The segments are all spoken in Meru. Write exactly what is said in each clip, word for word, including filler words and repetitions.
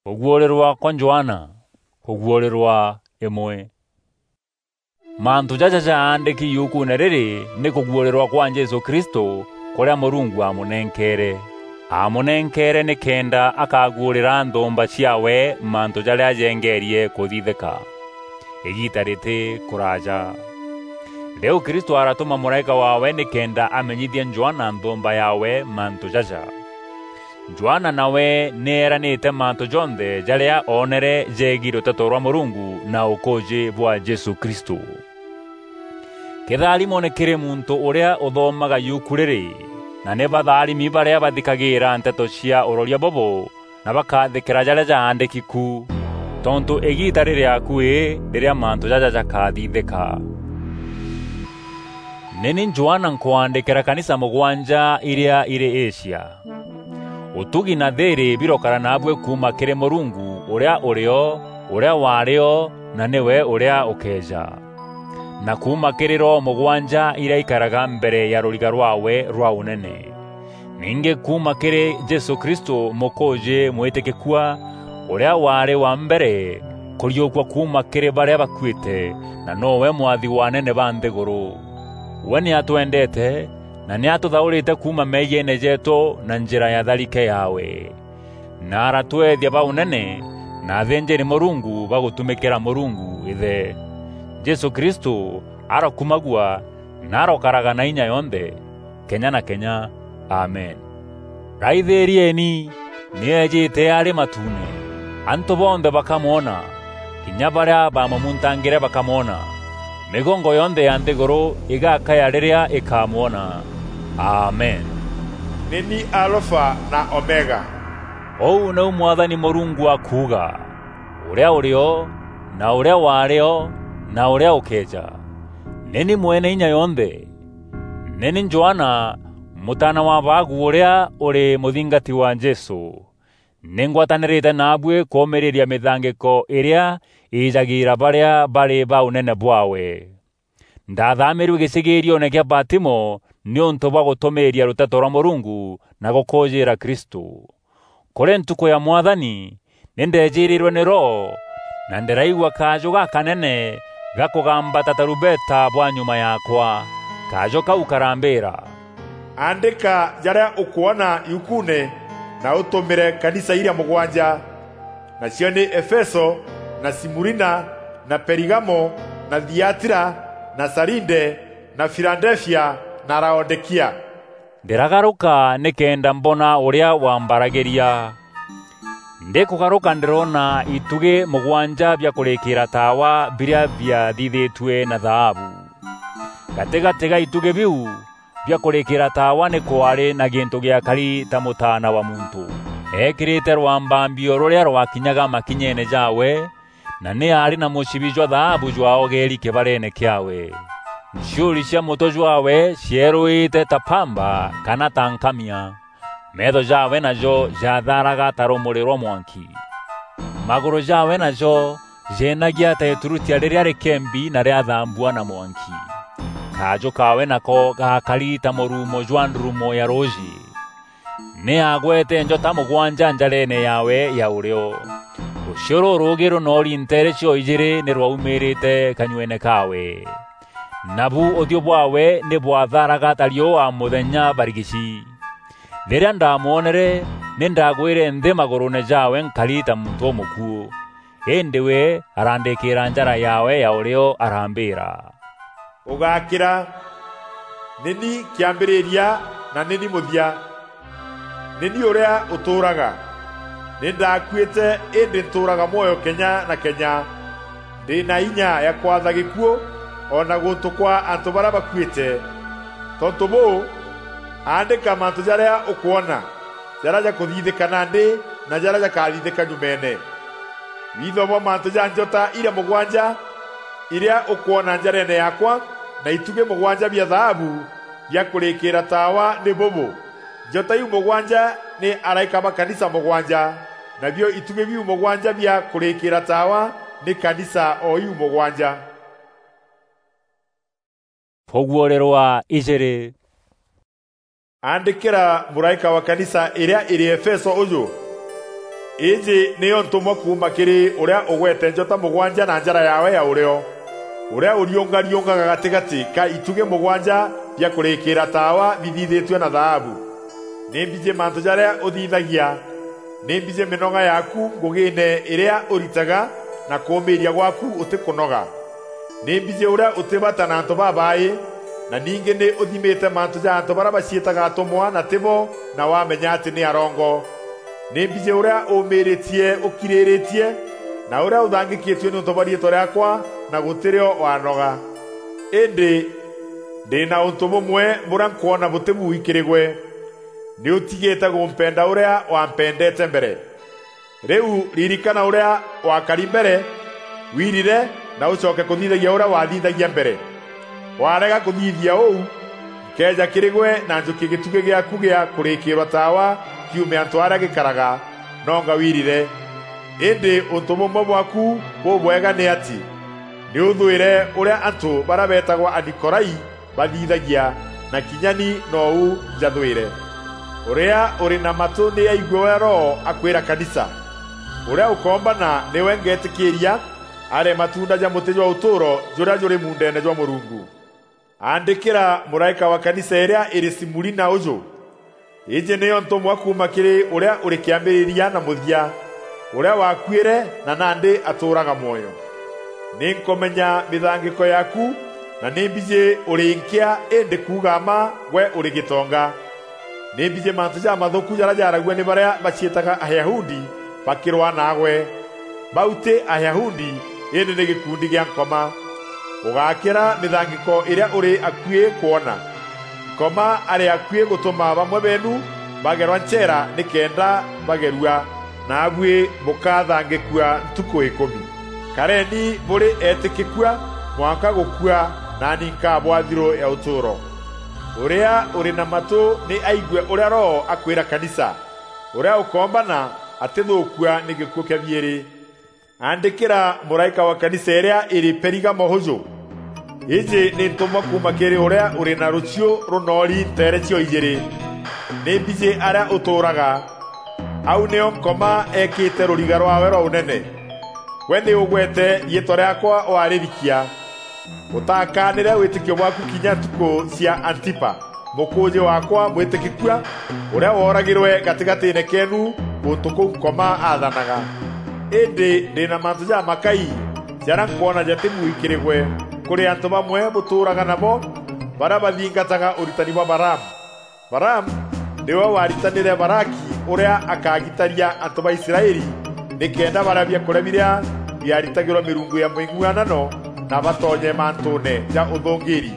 Kuguurirwa kwa Johana, kuguurirwa imwe. Mantu jaja jaandiki yukuune riri ni kuguurirwa kwa Jesu Kristo, kuria Murungu aamunenkeere. Aamunenkeere nikenda akaguurira nthumba ciaawe mantu jaria jengeerie kuthithika, igiita riti kuraaja. Riu Kristo aratuma muraika waawe nikenda amenyithie Johana nthumba yaawe mantu jaja. Johana nawe ni eeranite mantu jonthe jaria oonere jeegii ruteto rwa Murungu na ukuuji bwa Jesu Kristo. Kitharimo ni kiri muntu uria uthomaga yuku riri, na ni batharimi baria bathikagiira nteto cia uroria bubu na bakathikira jaria jaandiki ku, tontu igiita riri akui riria mantu jaja jakathithika. Ni ni Johana nkwandikira kanisa mugwanja iria iri Asia. Utugi na thiiri birokara naabui kuuma kiri Murungu uria uri o, uria waari o, na niwe uria ukeeja, na kuuma kiri roho mugwanja iria ikaraga mbere ya ruriga rwaawe rwa unene. Ningi kuuma kiri Jesu Kristo mukuuji mwitikikua, uria waari wa mbere kuriukua kuuma kiri baria bakuite, na nowe mwathi wa anene ba nthiguru. We ni atwendete, na ni atuthaurite kuuma meegiene jeetu na njira ya tharike yaawe, na aratweethia ba unene na athinjiri Murungu ba gutumikira Murungu Ithe. Jesu Kristo arakumagua na arokaraga na inya yonthe, kenya na kenya. Amen. Raithirieni, ni eejite ari matuune. Antu bonthe bakamwona, kinya baria baamumuntangire bakamwona. Migongo yonthe ya nthiguru igakaya riria ikamwona. Amen. Ni ni Alfa na Omega. Uu niu Mwathani Murungu akuuga, uria uri o, na uria waari o, na uria ukeeja. Ni ni Mwene Inya Yonthe. Ni ni Johana, mutaana wa Bagu uria uri muthingati wa Jesu. Ni ngwatanirite naabui kuumiriria mithangiko iria iijagiira baria bari ba unene bwaawe. Ndathamirue gicigiirione kia Patimo niuntu bwa gutumiiria ruteto rwa Murungu na gukuujiira Kristo. Kuri ntuku ya Mwathani, ni ndeejiirirwe ni Roho, na ndiraigua kaaju gakanene ga kugamba ta tarubeta bwa nyuma yaakwa. Kaaju kau karambiira, "Aandika jaria ukwona yukuune, na utumire kanisa iria mugwanja, nacio ni Efeso, na Simurina, na Perigamo, na Thiatira, na Saride, na Filadelfia, na Laodikia." Ndiragaruka nikenda mbona uria wambaragiria. Ndikugaruka ndiroona itugi mugwanja bia kurikiira taawa biria biathithitue na thaabu. Gatigati ga itugi biu bia kurikiira taawa ni kwaari na gintu giakari ta mutaana wa muntu, eekirite rwambambio ruria rwakinyaga makinyeene jaawe, na ni aari na mucibi jwa thaabu jwaogeeri kibareene kiaawe. Nchiuri cia mutwe jwaawe cieeruite ta pamba kana ta nkamia. Meetho jaawe najo jathaaraga ta rumuri rwa mwanki. Maguru jaawe najo jeenagia ta iturutia riria rikembi na riathambua na mwanki. Kaaju kaawe nako gaakari ta murumo jwa ndurumo ya ruuji. Ni aagwete njota mugwanja njareene yaawe ya urio. Rucio ruruugi runoori nteere cio ijiri ni rwaumiirite kanyuene kaawe. Nabu uthiu bwaawe ni bwathaaraga ta riua muthenya barigici. Riria ndamwonere, ni ndagwire nthi maguruune jaawe nkari ta muntu umukuu. Indi we arandikiira njara yaawe ya urio, arambiira, "Ugakira, ni ni kiambiriria na ni ni muthia. Ni ni uria utuuraga. Ni ndakuite, indi ntuuraga mwoyo kenya na kenya. Ndi na inya ya kwatha gikuu, o na guntu kwa antu baria bakuite. Tontu buu, aandika mantu jaria ukwona, jaria jakuthithika nandi, na jaria jakathithika nyumeene." Witho bwa mantu ja njota iria mugwanja iria ukwona njareene yaakwa, na itugi mugwanja bia thaabu bia kurikiira taawa ni bubu. Njota iu mugwanja ni araika ba kanisa mugwanja, nabio itugi biu mugwanja bia kurikiira taawa ni kanisa o iu mugwanja. Kuguurirwa ijiri. Andikira muraika wa kanisa iria iri Efeso uju: Iji niyo ntumwa kuuma kiri uria ugwete njota mugwanja na njara yawe ya urio, uria uriungariungaga gatigati ka itugi mugwanja bia kurikira taawa bithithitue na thaabu. Ni mbiji mantu jaria uthithagia, ni mbiji minoga yaku ngugine iria uritaga, na kuumiiria gwaku utikunoga. Ni mbiji uria utibata na antu babai, na ningi ni uthimite mantu ja antu baria baciitaga atumwa na tibo, na wamenya ati ni arongo. Ni mbiji uria uumiritie ukiriritie, na uria uthangikitue niuntu bwa riitwa riaakwa, na gutirio wanoga. Indi ndi na untu bumwe buria nkwona buti buui kiri gwe: ni utigite gumpenda uria wampendete mbere. Riu ririkana uria wakari mbere, wirire, na ucoke kuthithagia uria wathithagia mbere. Warega kuthithia uu, nkeeja kiri gwe na njukie gitugi giaku gia kurikirwa taawa kiume antu aria gikaraga, nonga wirire. Indi untu bumwe bwaku bubwega ni ati, ni uthwire uria antu baria beetagwa Anikorai bathithagia, na kinya ni nou njathwire. Uria uri na matu ni aigue uria Roho akwira kanisa. Uria ukombana niwe ngetikiiria arie matunda ja muti jwa utuuro juria juri muundeene jwa Murungu. Aandikira muraika wa kanisa iria iri Simurina uju: Iji niyo ntumwa kuuma kiri uria uri kiambiriria na muthia, uria wakuire na nandi atuuraga mwoyo. Ni nkumenya mithangiko yaku, na ni mbiji uri nkia, indi kuuga mma gwe uri gitonga. Ni mbiji mantu jamathuku jaria jaaragua ni baria baciitaga Ayahudi bakirwaa naagwe. Bau ti Ayahudi, indi ni gikundi gia Nkoma. Ugakira mithangiko iria uri akui kwona. Nkoma ari akui gutuma bamwe beenu bagerwa ncheera nikenda bagerua, naabui bukathangikua ntuku ikumi. Kareni buri eetikikua mwanka gukua, naani nkabwaa thiru ya utuuro. Uria uri na matu ni aigue uria Roho akwira kanisa. Uria ukombana atithuukua ni gikuu kia biiri. Aandikira muraika wa kanisa iria iri Perigamo uju: Iji ni ntumwa kuuma kiri uria uri na ruchiu runoori nteere cio ijiri. Ni mbiji aria utuuraga. Au nio Nkoma eekite ruriga rwaawe rwa unene. Gwe ni ugwete riitwa riaakwa waririkia. Utakaanire witikio bwaaku kinya ntuku cia Antipa, mukuuji waakwa mwitikikua, uria wooragirwe gatigatiine keenu guntu kuu Nkoma aathanaga. Indi ndi na mantu jamakai jaria nkwona jati buui kiri gwe, kuri antu bamwe butuuraga nabo, baria bathingataga uritani bwa Balaamu. Balaamu niwe waaritanire Balaki uria akagitaria antu ba Israeli, nikenda baria biakuria biria biaritagirwa mirungu ya ming'uanano na batonye mantuune ja uthungiiri.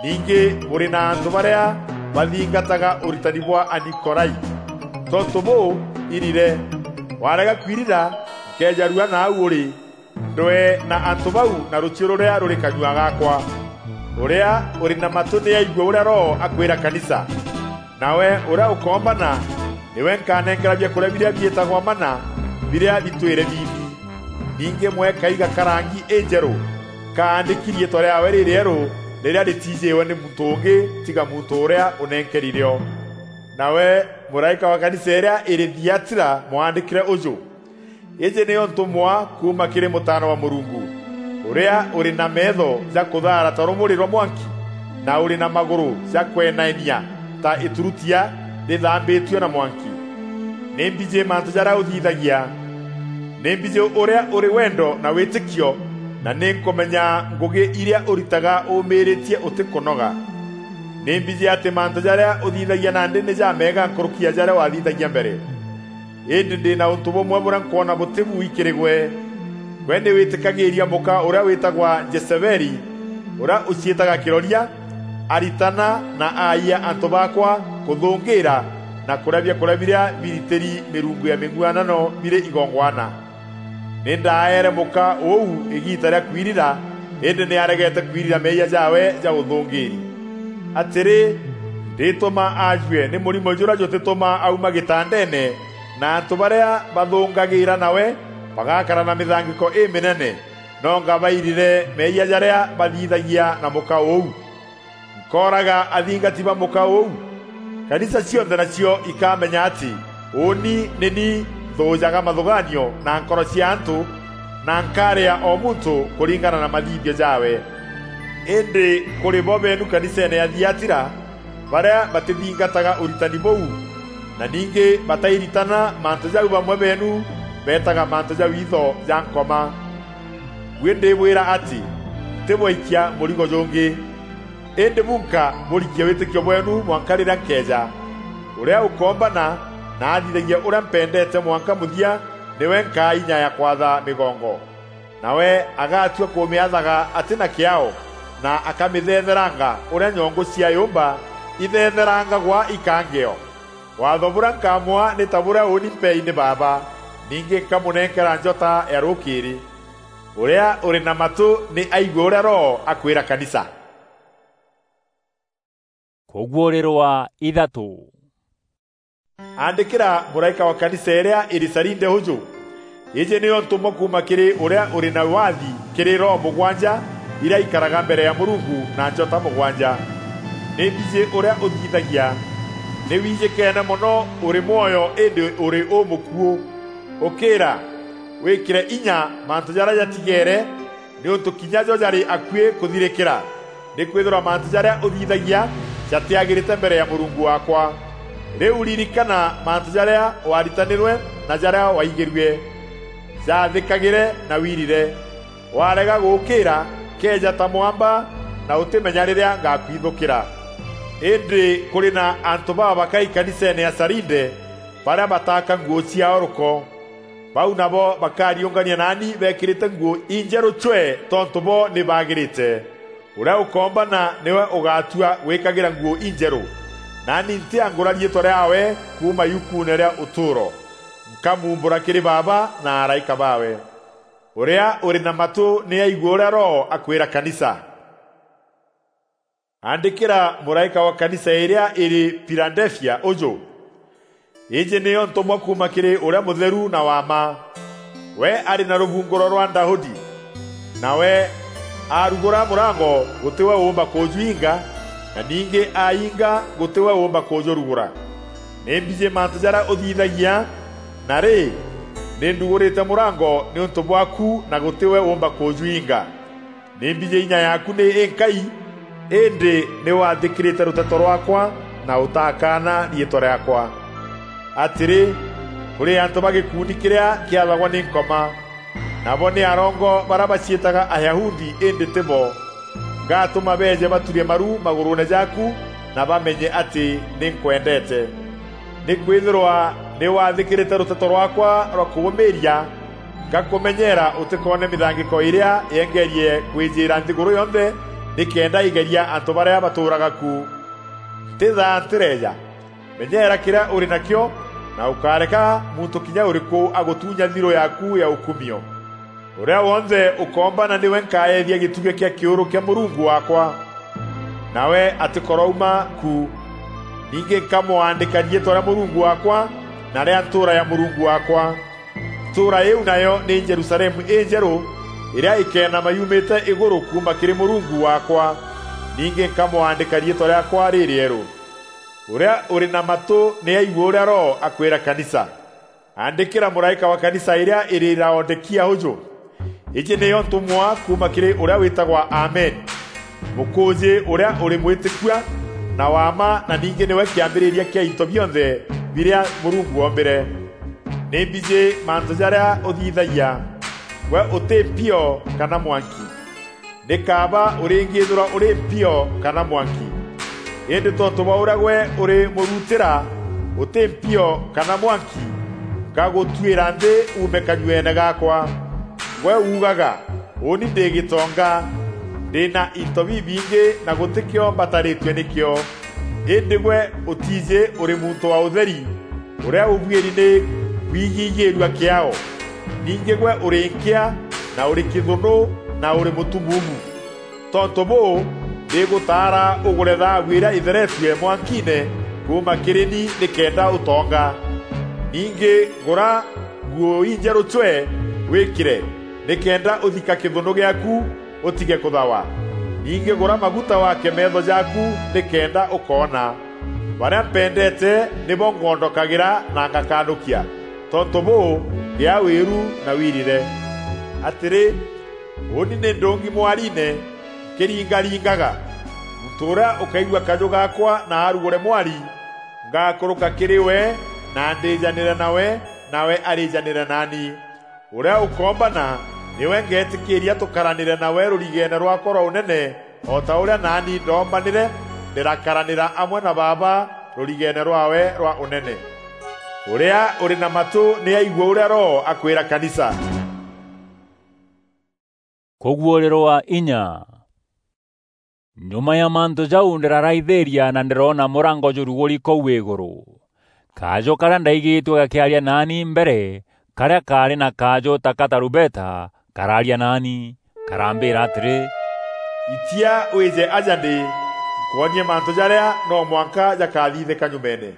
Ningi buri na antu baria bathingataga uritani bwa Anikorai. Tontu buu, irire. Warega kwirira, nkeeja rua nau uri. Ndwee na antu bau na ruchiu ruria ruri kanyua gaakwa. Uria uri na matu ni aigue uria Roho akwira kanisa. Nawe uria ukoombana, niwe nkanenkera biakuria biria biitagwa mana, biria bitwire biibi. Ningi mwe kaiga ka rangi injeru, kaandiki riitwa riaawe ririeru, riria ritiijiwe ni muntu ungi tiga muntu uria unenkeri rio. Nawe muraika wa kanisa iria iri Thiatira mwaandikire uju: Iji niyo ntumwa kuuma kiri Mutaana wa Murungu, uria uri na meetho ja kuthaara ta rumuri rwa mwanki, na uri na maguru ja kwenaenia ta iturutia rithambitue na mwanki. Ni mbiji mantu jaria uthithagia. Ni mbiji uria uri wendo na witikio, na ni nkumenya ngugi iria uritaga uumiritie utikunoga. Ni mbiji ati mantu jaria uthithagia nandi ni jameega nkuruki ya jaria wathithagia mbere. Indi ndi na untu bumwe buria nkwona buti buui kiri gwe. Gwe ni witikagiiria muka uria witagwa Jezebeli, uria uciitaga kiroria, aritana na aayia antu baakwa kuthungiira na kuria biakuria biria biritiri mirungu ya ming'uanano biri igongwana. Ni ndaaere muka uu igiita ria kwirira, indi ni aregete kwirira meeyia jaawe ja uthungiiri. Atiri, ndituma aajue ni murimo juria jutituma auma gitandeene, na antu baria bathungagiira nawe bagakara na mithangiko iminene, nonga bairire meeyia jaria bathithagia na muka uu. Nkooraga athingati ba muka uu. Kanisa cionthe nacio ikamenya ati uuni ni ni nthuujaga mathugaanio na nkoro cia antu, na nkaaria o muntu kuringana na mathithio jaawe. Indi kuri bo beenu kaniseene ya Thiatira, baria batithingataga uritani buu, na ningi batairitana mantu jau bamwe beenu beetaga mantu ja witho ja nkoma. Buî ndîbwîra atî ntîbwaikia mûrigo jûngî. Îndî bunka bûrikie wîtîkio bweenu mwanka rîrîa nkeeja. Ûrîa ûkoombana na athithagia ûrîa mpendeete mwanka mûthia, nîwe nkaa inya ya kwatha mîgongo. Nawe agatua kûmîathaga atî na kîaao, na akamîthetheranga ûrîa nyongû cia yûmba ithetherangagwa ikangîo. Waatho bûrîa nkamûa nî ta bûrîa ûûni mpei nî Baaba, ningî nkamûnenkera njota ya rûkîîrî. Ûrîa ûrî na matû nî aigue ûrîa Roho akwîra kanisa. Kûguûrîrwa ithatû. Andîkîra mûraîka wa kanisa îrîa îrî Sarinde ûjû: Îîjî nîyo ntûmwa kuuma kîrî ûrîa ûrî na wathi kîrî roho mûgwanja irîa ikaraga mbere ya Mûrungu na njota mûgwanja. Nî mbijî ûrîa ûthithagia. Nî wijîkeene mono, ûrî mwoyo îndî ûrî ûmûkuû. Ûkîîra, wîkîre inya mantû jarîa jatigeere, nîûntû kinya jo jarî akuî kûthirîkîra. Nîkwîthîrwa mantû jarîa ûthithagia jatîagîrîte mbere ya Mûrungu waakwa. Rîu ririkana mantû jarîa waaritanîrwe na jarîa waigîrue. Jaathîkagîre na wirire. Warega gûûkîîra, keeja ta mwamba, na ûtîmenya rîrîa ngakwithûkîra. Îndî kûrî na antû babakai kaniseene ya Sarinde, barîa bataaka nguû ciaao rûko. Bau nabo bakariûngania naani beekîrîte nguû injerû cwee tontû bo nî baagîrîte. Ûrîa ûkoombana nîwe ûgatua gwîkagîra nguû injerû. Naani ntîangûra riîtwa rîaawe kuuma yukuune rîa ûtûûro. Nkamuumbûra kîrî Baaba na araîka baawe. Ûrîa ûrî na matû nî aigue ûrîa Roho akwîra kanisa. Andîkîra mûraîka wa kanisa îrîa îrî Filadelfia ûjû: Îîjî nîyo ntûmwa kuuma kîrî Ûrîa Mûtheru na wa mma. We arî na rûbungûro rwa Daudi. Nawe aarugûra mûrango, gûtî we ûûmba kûjwinga, na ningî ainga, gûtî we ûûmba kûjûrugûra. Nî mbijî mantû jarîa ûthithagia, na rî, nî ndugûrîte mûrango nîûntû bwaaku na gûtî we ûûmba kûjwinga. Nî mbijî inya yaaku nî înkai, îndî nî waathîkîrîte rûteto rwaakwa na ûtakaana riîtwa rîaakwa. Atîrî, kûrî antû ba gîkundi kîrîa kîathagwa nî Nkoma, nabo nî arongo barîa baciîtaga Ayahudi îndî tî bo. Ngatûma beeje baturie maru magûrûûne jaaku na bamenye atî nî nkwendeete. Nîkwîthîrwa nî waathîkîrîte rûteto rwaakwa rwa kûgûmîîria, ngakûmenyeera ûtîkoone mîthangîko îrîa yengeerie kwîjîîra nthîgûrû yonthe nîkenda îgeria antû barîa batûûraga ku. Ntîthaa ntîreeja. Menyeera kîrîa ûrî nakîo, na ûkáreka muntû kinya ûrîkû agûtunya thirû yaaku ya ûkumio. Ûrîa wonthe ûkoombana nîwe nkaeethia gîtugî kîa kîûrû kîa Mûrungu waakwa, nawe atîkorouma ku. Ningî nkamwandîka riîtwa rîa Mûrungu waakwa na rîa ntûûra ya Mûrungu waakwa. Ntûûra îîu nayo nî Jerusalemu înjerû, îrîa îkeenama yumîte îgûrû kuuma kîrî Mûrungu waakwa. Ningî nkamwandîka riîtwa rîaakwa rîrîerû. Ûrîa ûrî na matû nî aigue ûrîa Roho akwîra kanisa. Andîkîra mûraîka wa kanisa îrîa îrî Laodikia ûjû: Îîjî nîyo ntûmwa kuuma kîrî ûrîa wîtagwa Amen, mûkûûjî ûrîa ûrî mwîtîkua na wa mma, na ningî nîwe kîambîrîria kîa into bionthe birîa Mûrungu oombîre. Nî mbijî mantû jarîa ûthithagia. Gwe ûtî mpio kana mwanki. Nî kaaba ûrîngîîthîrwa ûrî mpio kana mwanki. Îndî tontû bwa ûrîa gwe ûrî mûrutîra ûtî mpio kana mwanki, ngagûtuîra nthî uume kanyueene gaakwa. Gwe uugaga, 'Ûûni ndî gîtonga, ndî na into bibingî na gûtî kîo mbatarîtue nîkîo.' Îndî gwe ûtiijî ûrî muntû wa ûtheri, ûrîa ûbuîri nî kwigigîîrua kîaao. Ningî gwe ûrî nkîa, na ûrî kîthûnû, na ûrî mûtumuumu. Tontû bûû, ndîgûtaara ûgûre thaabu îrîa îtheretue mwankiine kuuma kîrî ni nîkenda ûtonga. Ningî gûra nguû injerû cwee wîkîre, nîkenda ûthika kîthûnû gîaaku ûtige kûthawa. Ningî gûra maguta wake meetho jaaku nîkenda ûkoona. Barîa mpendeete nîbo ngondokagîra na ngakanûkia. Tontu buu, gia wiru na wirire. Atiri, uuni ni ndungi mwariine, nkiringaringaga. Muntu uria ukaigua kaju gaakwa na arugure mwari, ngakuruka kiri we na ndijanire nawe, nawe arijanire naani. Uria ukoombana, niwe ngeetikiiria tukaranire nawe rurigeene rwaakwa rwa unene, o ta uria naani ndoombanire, ndirakaranira amwe na Baaba rurigeene rwaawe rwa unene. Uria uri na matu ni aigue uria Roho akwira kanisa. Kuguurirwa inya. Nyuma ya mantu jau ndiraraithiria na ndiroona murango juruguri kuu iguru. Kaju karia ndaigitue gakiaria naani mbere, karia kaari na kaju ta ka tarubeta, karaaria naani, karambira atiri, "Itia wije aja ndi, nkwonie mantu jaria no mwanka jakathithika nyumeene."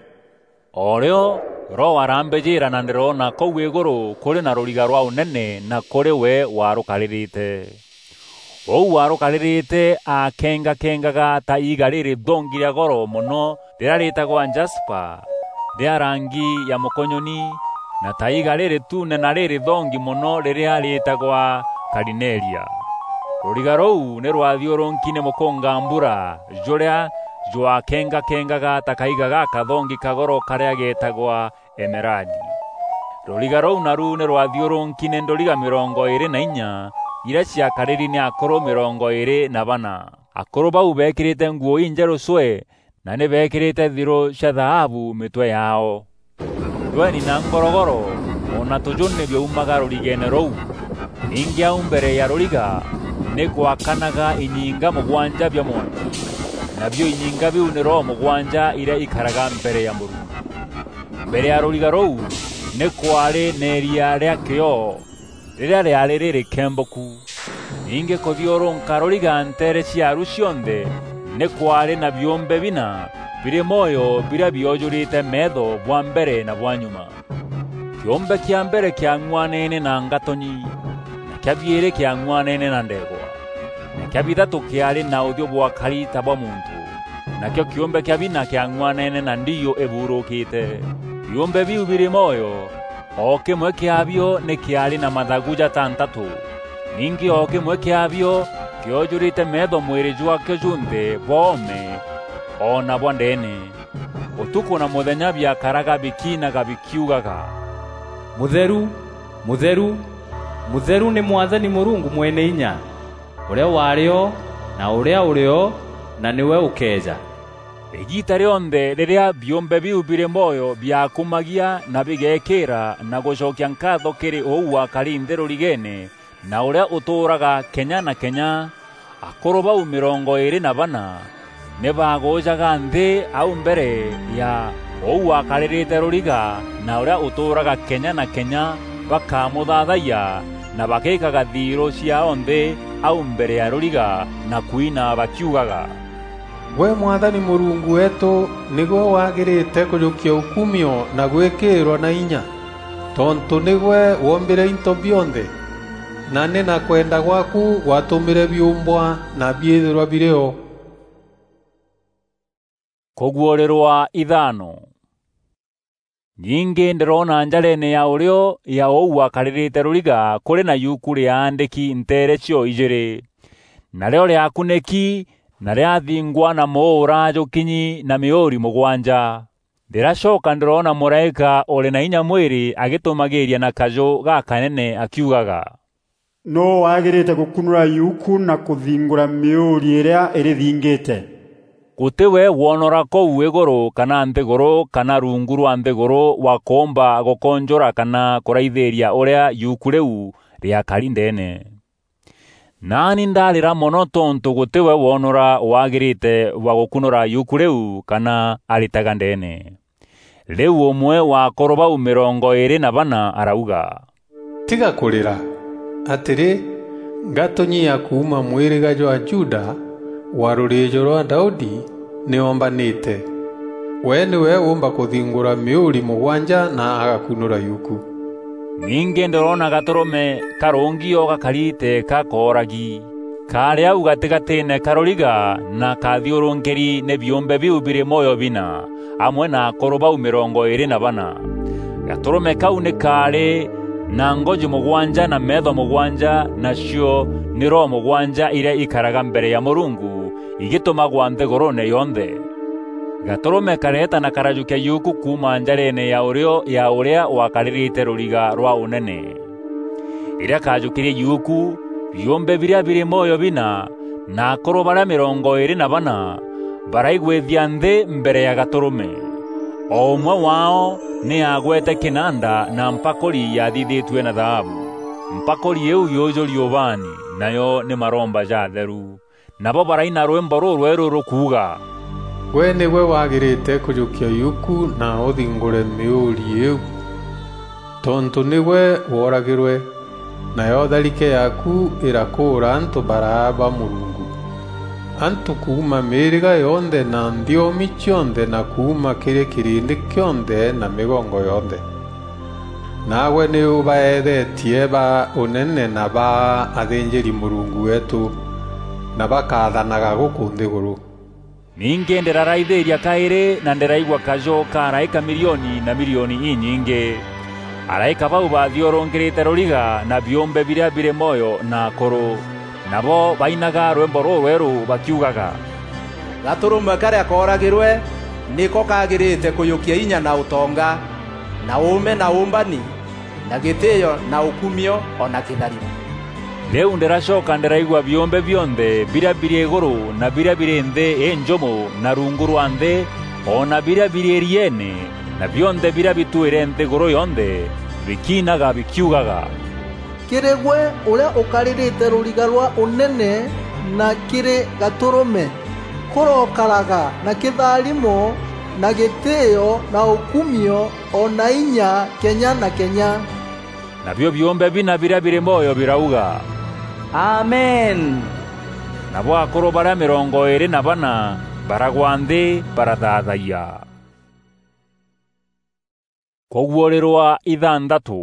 O rio Roho arambijira na ndiroona kuu iguru kuri na ruriga rwa unene na kuri we warukaririte. Uu warukaririte aakengakengaga ta iiga ririthongi ria goro mono riria ritagwa jaspa, ria rangi ya mukonyoni, na ta iiga rirituune na ririthongi mono riria ritagwa karineria. Ruriga ruu ni rwathiurunki ni mukungambura, juria jwakengakengaga ta kaiga gakathongi ka goro karia getagwa emeradi. Ruriga ruu naru ni rwathiurunki ni nduriga mirongo iiri na inya, iria ciakariri ni akuru mirongo iiri na bana. Akuru bau beekirite nguo injeru cwe, na ni beekirite thiru cia thaabu mitwe yaao. Ndweni na ngorogoro, o na tuju ni biaumaga rurigeene ruu. Ningi au mbere ya ruriga ni gwakanaga inyinga mugwanja bia mwanki, nabio inyinga biu ni roho mugwanja iria ikaraga mbere ya Murungu. Mbere ya ruriga ruu ni kwaari na iria ria kioo, riria riaari ririkemboku. Ningi kuthiurunka ruriga nteere ciaaru cionthe ni kwaari na biumbe bina biri mwoyo biria biojurite meetho bwa mbere na bwa nyuma. Kiumbe kia mbere kiang'uanene na ngatonyi, na kia biiri kiang'uanene na ndegwa, na kia bithatu kiaari na uthio bwakari ta bwa muntu, nakio kiumbe kia bina kiang'uanene na ndiiu ibuurukite. Biumbe biu biri mwoyo, o kimwe kiaabio ni kiaari na mathagu jatantatu. Ningi o kimwe kiaabio kiojurite meetho mwiri jwakio junthe bwa oome o na bwa ndeene. Utuku na muthenya biakaraga bikiinaga bikiugaga, "Mutheru, mutheru, mutheru ni Mwathani Murungu Mweneinya, uria waari o, na uria uri o, na niwe ukeeja." Igiita rionthe riria biumbe biu biri mwoyo biakumagia na bigeekira na gucokia nkaatho kiri uu wakari nthi rurigeene, na uria utuuraga kenya na kenya, akuru bau mirongo iiri na bana ni bagujaga nthi au mbere ya uu wakaririte ruriga na uria utuuraga kenya na kenya, bakamuthathayia na bagiikaga thiiru ciaao nthi au mbere ya ruriga na kwina bakiugaga, "Gwe Mwathani Murungu weetu nigwe wagirite kujukia ukumio na gwikiirwa na inya, tontu nigwe woombire into bionthe, na ni na kwenda gwaku gwatumire biumbwa na biithirwa biri o." Kuguurirwa ithano. Ningi ndiroona njareene ya urio ya uu wakaririte ruriga kuri na yuku riaandiki nteere cio ijiri. Nario riakuniki na riathingwa na muura jukinyi na miuri mugwanja. Ndiracoka ndiroona muraika uri na inya mwiri agitumagiiria na kaju gakanene akiugaga, "Nuu wagirite gukunura yuku na kuthingura miuri iria irithingite?" Guti we wonora kuu iguru kana nthiguru kana rungu rwa nthiguru wa kuumba gukonjura kana kuraithiiria uria yuku riu riakari ndeene. Naani ndarira mono tontu guti we wonora wagirite bwa gukunura yuku riu kana aritaga ndeene. Riu umwe wa akuru bau mirongo iiri na bana arauga, "Tiga kurira! Atiri, ngatonyi ya kuuma mwiriga jwa Juda, wa ruriijo rwa Daudi, ni oombanite. We niwe uumba kuthingura miuri mugwanja na agakunura yuku." Ningi ndiroona gaturume karungi o gakari teeka kooragi. Kaari au gatigatiine ka ruriga na kaathiurunkiri ni biumbe biu biri mwoyo bina, amwe na akuru bau mirongo iiri na bana. Gatûrûme kau nî kaarî na ngoji mûgwanja na meetho mûgwanja, nacio nî roho mûgwanja irîa ikaraga mbere ya Mûrungu igîtûmagwa nthîgûrûûne yonthe. Gatûrûme kareeta na karajûkia yuku kuuma njareene ya ûrîo ya ûrîa wakarîrîte rûriga rwa ûnene. Rîrîa kaajûkîrie yuku, biûmbe birîa birî mwoyo bina na akûrû barîa mîrongo îîrî na bana baraigwîthia nthî mbere ya Gatûrûme. O ûmwe waao nî aagwete kînanda na mpakûri yathithîtue na thaabu. Mpakûri îîu yûûjûri ûbaani, nayo nî maromba jatheru. Nabo baraina rwîmbo rûrwerû rûkuuga, "Gwe nîgwe wagîrîte kûjûkia yuku na ûthingûre mîûûri îîu, tontû nîgwe wooragîrwe, nayo tharike yaaku îrakûûra antû baraa ba Mûrungu, antû kuuma mîîrîga yonthe na nthiomi cionthe na kuuma kîrî kîrîndî kîonthe na mîgongo yonthe. Naagwe nî ûbaeethetie ba ûnene na ba athînjîri-Mûrungu weetû, na bakathanaga gûkû nthîgûrû." Ningî ndîraraithîîria kaîrî, na ndîraigua kajû ka araîka milioni na milioni inyingî. Araîka bau baathiûrûkîrîte rûriga na biûmbe birîa birî mwoyo na akûrû. Nabo bainaga rwîmbo rûrwerû bakiugaga, "Gatûrûme karîa kooragîrwe nîko kagîrîte kûjûkia inya na ûtonga, na ûûme na ûûmbani, na gîtîîo na ûkumio, o na kîtharimo." Rîu ndîracoka ndîraigua biûmbe bionthe birîa birî îgûrû na birîa birî nthî înjûmo na rungu rwa nthî, o na birîa birî îrieene, na bionthe birîa bitwîre nthîgûrû yonthe, bikiinaga bikiugaga, "Kîrî gwe ûrîa ûkarîrîte rûriga rwa ûnene na kîrî Gatûrûme, kûrokaraga na kîtharimo na gîtîîo na ûkumio o na inya kenya na kenya." Nabio biûmbe bina birîa birî mwoyo birauga, "Amen!" Nabo akûrû barîa mîrongo îîrî na bana baragwa nthî barathaathayia. Kûguûrîrwa ithanthatû.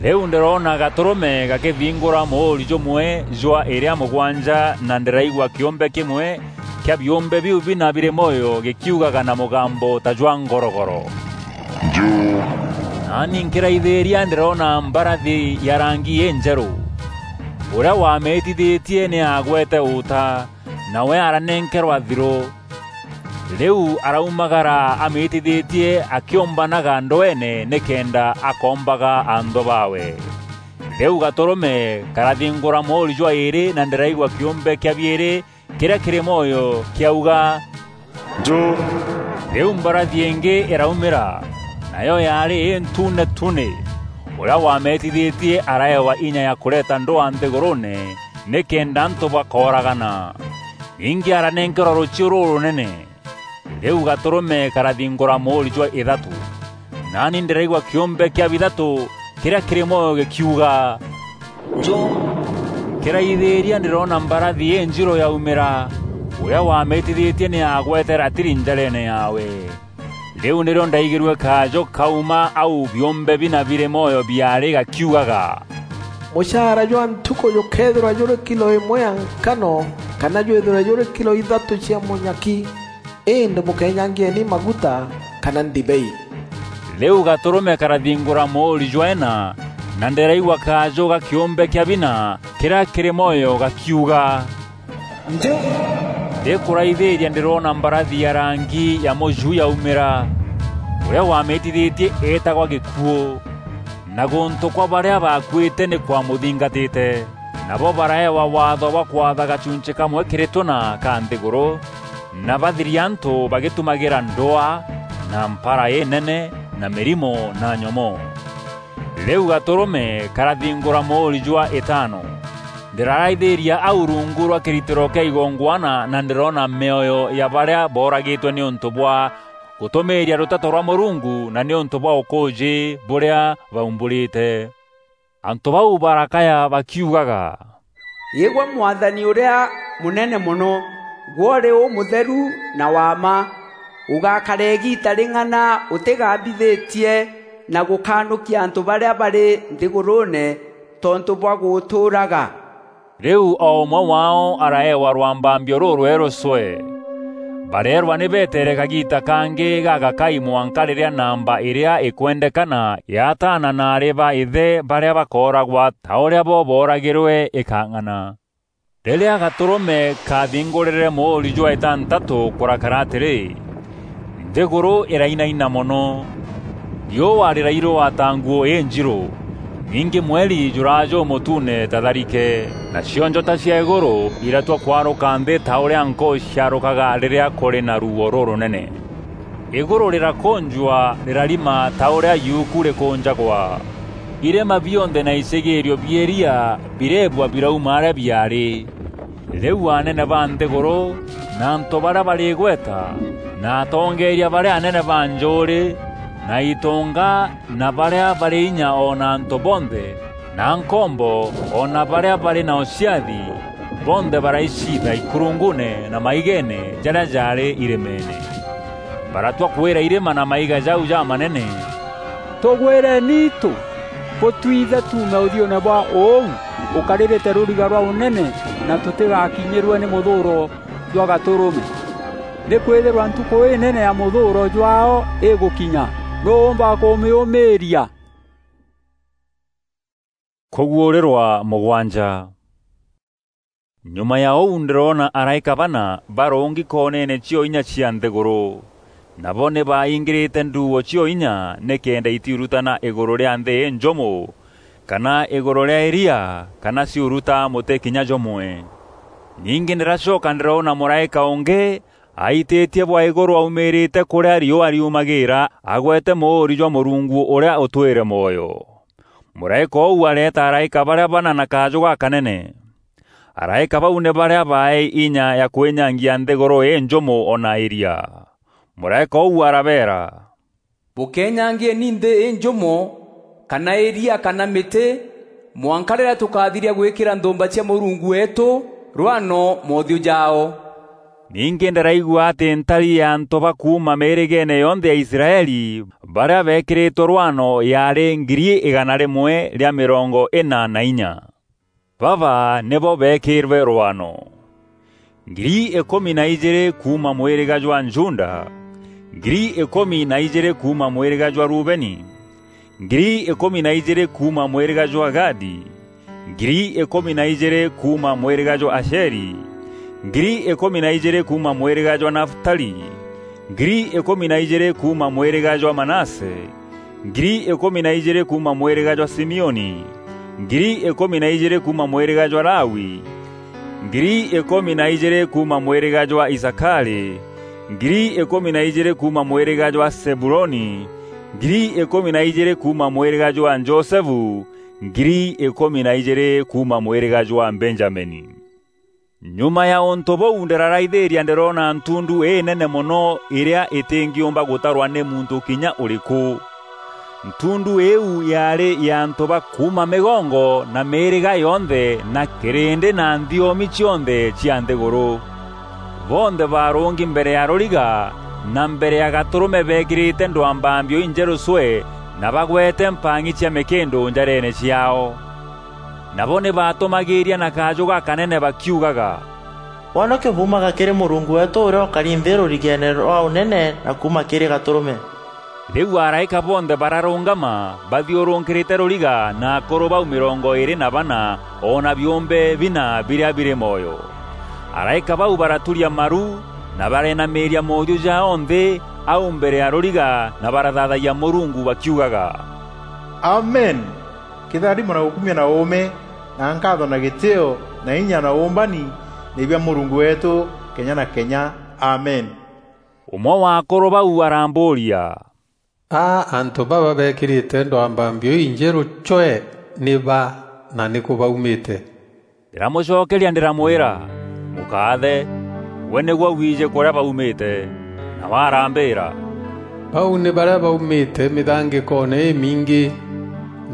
Rîu ndîroona Gatûrûme gakîthingûra mûûri jûmwe jwa îrîa mûgwanja, na ndîraigua kîûmbe kîmwe kîa biûmbe biu bina birî mwoyo gîkiugaga na mûgambo ta jwa ngorogoro, "Njû!" Naani nkîraithîîria ndîroona mbarathi ya rangi înjerû. Ûrîa wamîîtithîtie nî aagwete ûta, nawe aranenkerwa thirû. Rîu araumagara amîîtithîtie akîûmbanaga ndweene nîkenda akombaga anthû baawe. Rîu Gatûrûme karathingûra mûûri jwa îîrî, na ndîraigua kîûmbe kîa biîrî kîrîa kîrî mwoyo kîauga, "Njû!" Rîu mbarathi îngî îraumîra, nayo yaarî întuune tuune. Ûrîa wamîîtithîtie araewa inya ya kûreta ndwaa nthîgûrûûne, nîkenda antû bakooragana. Ningî aranenkerwa rûchiû rûrûnene. Rîu Gatûrûme karathingûra mûûri jwa îthatû. Naani ndîraigua kîûmbe kîa bithatû kîrîa kîrî mwoyo gîkiuga, "Njû!" Nkîraithîîria ndîroona mbarathi înjirû yaumîra. Ûrîa wamîîtithîtie nî aagwete ratiri njareene yaawe. Rîu nîrîo ndaigîrue kajû kauma au biûmbe bina birî mwoyo biaarî gakiugaga, "Mûchaara jwa ntukû jûkeethîrwa jûrî kilo îmwe ya nkano, kana jwîthîrwe jûrî kilo ithatû cia mûnyaki. Îndî bûkeenyangieni maguta kana ndibei." Rîu Gatûrûme karathingûra mûûri jwa îna, na ndîraigua kajû ga kîûmbe kîa bina kîrîa kîrî mwoyo gakiuga, "Njû!" Ndîkûraithîîria ndîroona mbarathi ya rangi ya mûju yaumîra. Ûrîa wamîîtithîtie eetagwa Gîkuû, na gûntû kwa barîa baakuîte nî kwamûthingatîte. Nabo baraewa waatho bwa kwatha gachunchî kamwe kîrî tûna ka nthîgûrû, na bathiria antû bagîtumagîra ndwaa, na mpara înene, na mîrimo, na nyomoo. Rîu Gatûrûme karathingûra mûûri jwa îtano. Ndîraraithîîria au rungu rwa kîritîro kîa igongwana, na ndîroona mîoyo ya barîa booragîtwe nîûntû bwa gûtûmîîria rûteto rwa Mûrungu na nîûntû bwa ûkûûjî bûrîa baumbûrîte. Antû bau barakaya bakiugaga, "Îgwe Mwathani ûrîa mûnene mono, gwe ûrî ûmûtheru na wa mma, ûgakara îgiita rîng'ana ûtîgambithîtie na gûkanûkia antû barîa barî nthîgûrûûne tontû bwa gûtûûraga?" Rîu o ûmwe waao araewa rwambambio rûrwerû cwe. Bareerwa ni beteere kagiita kangî gagakai mwanka rîrîa namba îrîa îkwendekana ya ataana na aarî ba îthe barîa bakooragwa ta ûrîa bo booragîrwe îkang'ana. Rîrîa Gatûrûme kaathingûrîre mûûri jwa îtantatû kûrakara atîrî, nthîgûrû îrainaina mono. Riûa rîrairûa ta nguû înjirû, ningî mweri jûraa jûmûtuune ta tharike, nacio njota cia îgûrû iratua kwarûka nthî ta ûrîa nkûû ciarûkaga rîrîa kûrî na ruuo rûrûnene. Îgûrû rîrakûnjwa rîrarima ta ûrîa yuuku rîkûnjagwa. Irîma bionthe na icigîîrio bia îria bireebua birauma arîa biaarî. Rîu anene ba nthîgûrû, na antû barîa barî îgweta, na atongeeria barîa anene ba njûûrî, na itûnga, na barîa barî inya o na antû bonthe, na nkombo, o na barîa barî na ûciathi, bonthe baraicitha ikurunguune na maigeene jarîa jaarî irîmeene. Baratua kwîra irîma na maiga jau jamanene, "Tûgwîreni itû, bûtwithe tuume ûthiûûne bwa ûu ûkarîrîte rûriga rwa ûnene, na tûtîgakinyîrue nî mûthûûro jwa Gatûrûme. Nîkwîthîrwa ntukû înene ya mûthûûro jwaao îgûkinya, nûû ûûmba kûmîûmîîria?" Kûguûrîrwa mûgwanja. Nyuma ya ûu ndîroona araîka bana barûngi koneene cio inya cia nthîgûrû. Nabo nî baaingîrîte nduuo cio inya nîkenda itiurutana îgûrû rîa nthî înjûmû, kana îgûrû rîa îria, kana ciuruta mûtî kinya jûmwe. Ningî ndîracoka ndîroona mûraîka ûngî aitîtie bwa îgûrû aumîrîte kûrîa riûa riumagîîra, agwete mûûri jwa Mûrungu ûrîa ûtwîre mwoyo. Mûraîka ûu areeta araîka barîa bana na kajû gakanene. Araîka bau nî barîa baaî inya ya kwînyangia nthîgûrû înjûmû o na îria. Mûraîka ûu arabeera, "Bûkenyangieni nthî înjûmû, kana îria, kana mîtî, mwanka rîrîa tûkathiria gwîkîra nthûûmba cia Mûrungu weetû rwano moothiû jaao." Ningî ndîraigua atî ntari ya antû ba kuuma mîîrîgeene yonthe ya Israeli, barîa beekîrîtwe rwano yaarî ngiri îgana rîmwe rîa mîrongo îna na inya. Baba nîbo beekîrwe rwano: ngiri îkûmi na ijîîrî kuuma mwîrîga jwa Juda, ngiri îkûmi na ijîîrî kuuma mwîrîga jwa Rubeni, ngiri îkûmi na ijîîrî kuuma mwîrîga jwa Gadi, ngiri îkûmi na ijîîrî kuuma mwîrîga jwa Asheri, ngiri îkûmi na ijîîrî kuuma mwîrîga jwa Naftali, ngiri îkûmi na ijîîrî kuuma mwîrîga jwa Manase, ngiri îkûmi na ijîîrî kuuma mwîrîga jwa Simioni, ngiri îkûmi na ijîîrî kuuma mwîrîga jwa Lawi, ngiri îkûmi na ijîîrî kuuma mwîrîga jwa Isakarî, ngiri îkûmi na ijîîrî kuuma mwîrîga jwa Zebuloni, ngiri îkûmi na ijîîrî kuuma mwîrîga jwa Josefu, ngiri îkûmi na ijîîrî kuuma mwîrîga jwa Benjamini. Nyuma ya ûntû bûu ndîraraithîîria ndîroona ntundu înene mono îrîa îtîngîûmba gûtarwa nî muntû kinya ûrîkû. Ntundu îîu yaarî ya antû ba kuuma mîgongo na mîîrîga yonthe na kîrîndî na nthiomi cionthe cia nthîgûrû. Bonthe baarûngi mbere ya rûriga na mbere ya Gatûrûme beekîrîte ndwambambio injerû cwe na bagwete mpang'i cia mîkîndû njareene ciaao. Nabo nî baatûmagîîria na kajû gakanene bakiugaga, "Wonokio buumaga kîrî Mûrungu weetû ûrîa ûkari nthî rûrigeene rwa ûnene na kuuma kîrî Gatûrûme." Rîu araîka bonthe bararûngama bathiûrûkîrîte rûriga na akûrû bau mîrongo îîrî na bana o na biûmbe bina birîa birî mwoyo. Araîka bau baraturia maru na barenamîîria moothiû jaao nthî au mbere ya rûriga na barathathayia Mûrungu bakiugaga, "Amen! Kîtharimo na ûkumio na ûûme na nkaatho na gîtîîo na inya na ûûmbani nî bia Mûrungu weetû kenya na kenya. Amen." Ûmwe wa akûrû bau arambûûria, "A antû baba beekîrîte ndwambambio injerû cwe nî ba, na nîkû baumîte?" Ndîramûcokeria ndîramwîra, "Mûkaathe, gwe nîgwe wiijî kûrîa baumîte." Nawe arambîîra, "Bau nî barîa baumîte mîthangîkoone îmingî,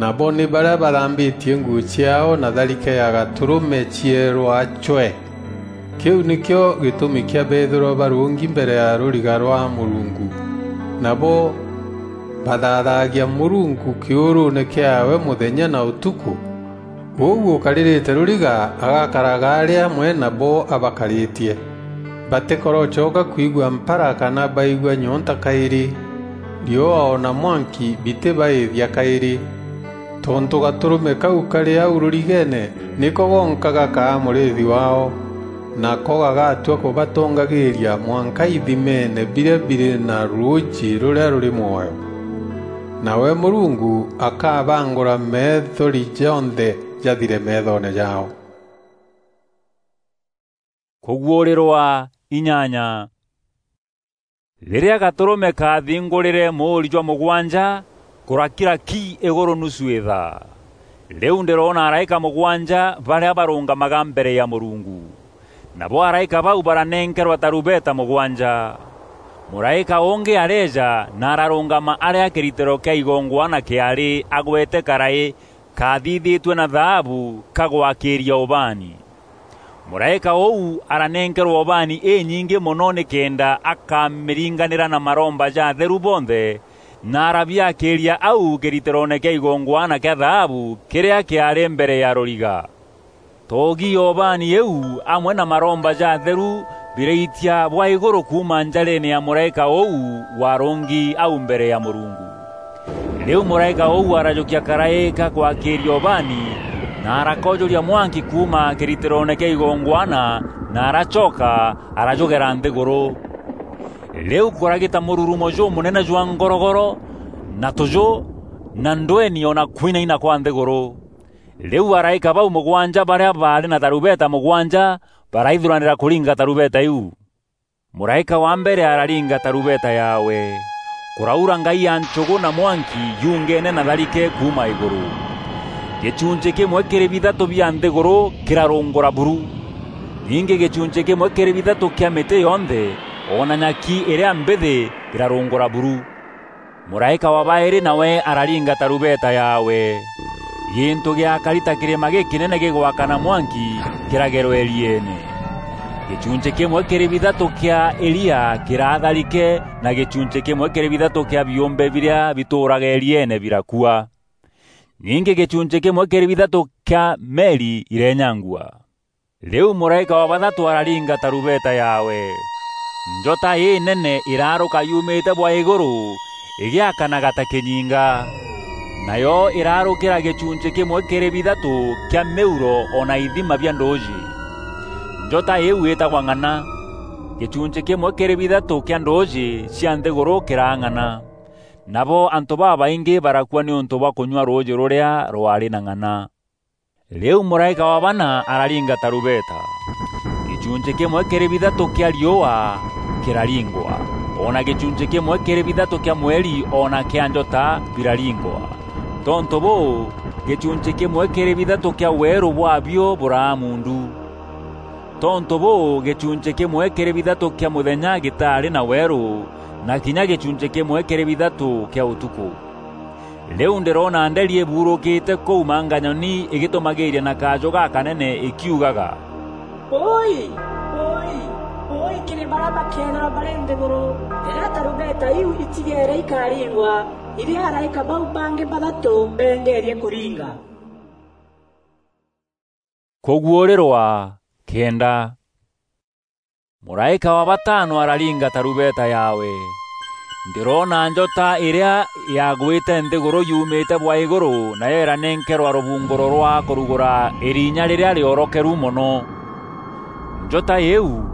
nabo nî barîa bathambîtie nguû ciaao na tharike ya Gatûrûme cieerwa cwe. Kîu nîkîo gîtûmi kîa beethîrwa barûngi mbere ya rûriga rwa Mûrungu, nabo bathathaagia Mûrungu kîûrûûne kîaawe mûthenya na ûtukû. Ûu ûkarîrîte rûriga agakaraga arî amwe nabo abakarîtie." Batikorocoka kwigua mpara kana baigua nyonta kairi. Riua o na mwanki bitibaithia kairi. Tontu gaturume kau kari au rurigene niko gonka gakaa murithi wao, nako gagatua kubatongagiria mwanka ithimene biria biri na ruuji ruria ruri mwoyo. Nawe Murungu akabangura meethori jonthe jathire meethone jao. Kuguurirwa inyanya. Riria gaturume kaathingurire muuri jwa mugwanja, kurakira ki iguru nusu ithaa. Riu ndiroona araika mugwanja baria barungamaga mbere ya Murungu. Nabo araika bau baranenkerwa tarubeta mugwanja. Muraika ungi areeja na ararungama aria kiritiro kia igongwana kiari agwete karai kaathithitue na thaabu ka gwakiiria ubaani. Muraika uu aranenkerwa ubaani inyingi mono nikenda akamiringanira na maromba ja atheru bonthe, na arabiakiiria au kiritiroone kia igongwana kia thaabu kiria kiari mbere ya ruriga. Toogi ya ubaani iu amwe na maromba ja atheru biraitia bwa iguru kuuma njareene ya muraika uu warungi au mbere ya Murungu. Riu muraika uu arajukia karai ka gwakiiria ubaani, na arakojuria mwanki kuuma kiritiroone kia igongwana, na aracoka arajugera nthiguru. Riu kuragita mururumo jumunene jwa ngorogoro, na tuju, na ndweni, o na kwinaina kwa nthiguru. Riu araika bau mugwanja baria baari na tarubeta mugwanja baraithuranira kuringa tarubeta iu. Muraika wa mbere araringa tarubeta yaawe. Kuraura ngai ya nchugu na mwanki yungene na tharike kuuma iguru. Gichunchi kimwe kiri bithatu bia nthiguru kirarungura buru. Ningi gichunchi kimwe kiri bithatu kia miti yonthe, o na nyaki iria mbithi, birarungura buru. Muraika wa bairi nawe araringa tarubeta yaawe. Gintu giakari ta kirima gikinene gigwakana mwanki kiragerwa irieene. Gichunchi kimwe kiri bithatu kia iria kiratharike, na gichunchi kimwe kiri bithatu kia biumbe biria bituuraga irieene birakua. Ningi gichunchi kimwe kiri bithatu kia meri irenyangua. Riu muraika wa bathatu araringa tarubeta yaawe. Njota inene iraruka yumite bwa iguru, igiakanaga ta kinyinga. Nayo irarukira gichunchi kimwe kiri bithatu kia miuro o na ithima bia nduuji. Njota iu itagwa Ng'ana. Gichunchi kimwe kiri bithatu kia nduuji cia nthiguru kiraang'ana. Nabo antu babaingi barakua niuntu bwa kunyua ruuji ruria rwaari na ng'ana. Riu muraika wa bana araringa tarubeta. Gichunchi kimwe kiri bithatu kia riua kiraringwa, o na gichunchi kimwe kiri bithatu kia mweri o na kia njota biraringwa. Tontu buu, gichunchi kimwe kiri bithatu kia weeru bwabio buraa mundu. Tontu buu, gichunchi kimwe kiri bithatu kia muthenya gitaari na weeru, na kinya gichunchi kimwe kiri bithatu kia utuku. Riu ndiroona nderi ibuurukite kuu manganyoni igitumagiiria na kaju gakanene ikiugaga, "Ui! Ui! Ui kiri baria bakeethirwa bari nthiguru, riria tarubeta iu itigeere ikaringwa, iria araika bau bangi bathatu bengeerie kuringa." Kuguurirwa kenda. Muraika wa batano araringa tarubeta yaawe. Ndiroona njota iria yagwite nthiguru yumite bwa iguru, nayo iranenkerwa rubunguro rwa kurugura irinya riria riorokeru mono. Njota iu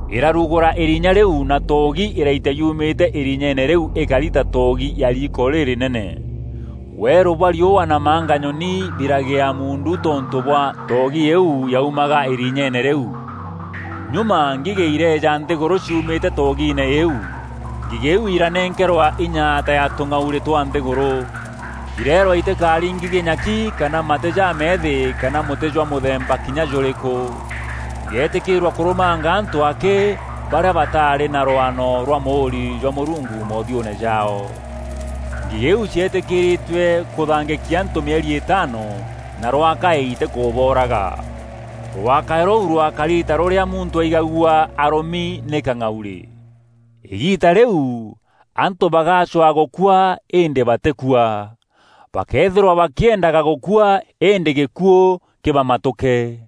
irarugura irinya riu, na toogi iraitia yumite irinyeene riu ikari ta toogi ya riiko ririnene. Weeru bwa riua na manganyoni biragia mundu tontu bwa toogi iu yaumaga irinyeene riu. Nyuma ngigi ireeja nthiguru ciumite toogiine iu. Ngigi iu iranenkerwa inya ta ya tung'auri twa nthiguru. Ireerwa itikari ngigi nyaki, kana mati ja meethi, kana muti jwa muthemba kinya juriku. Ireetikiirwa kurumanga antu aki baria bataari na rwano rwa muuri jwa Murungu mothiune jao. Ngigi iu cieetikiritue kuthangikia antu mieri itano, na rwakae itikubooraga. Rwakae ruu rwakari ta ruria muntu aigagua arumi ni kang'auri. Igiita riu, antu bagacwaa gukua, indi batikua. Bakeethirwa bakiendaga gukua, indi gikuu kibamatuke.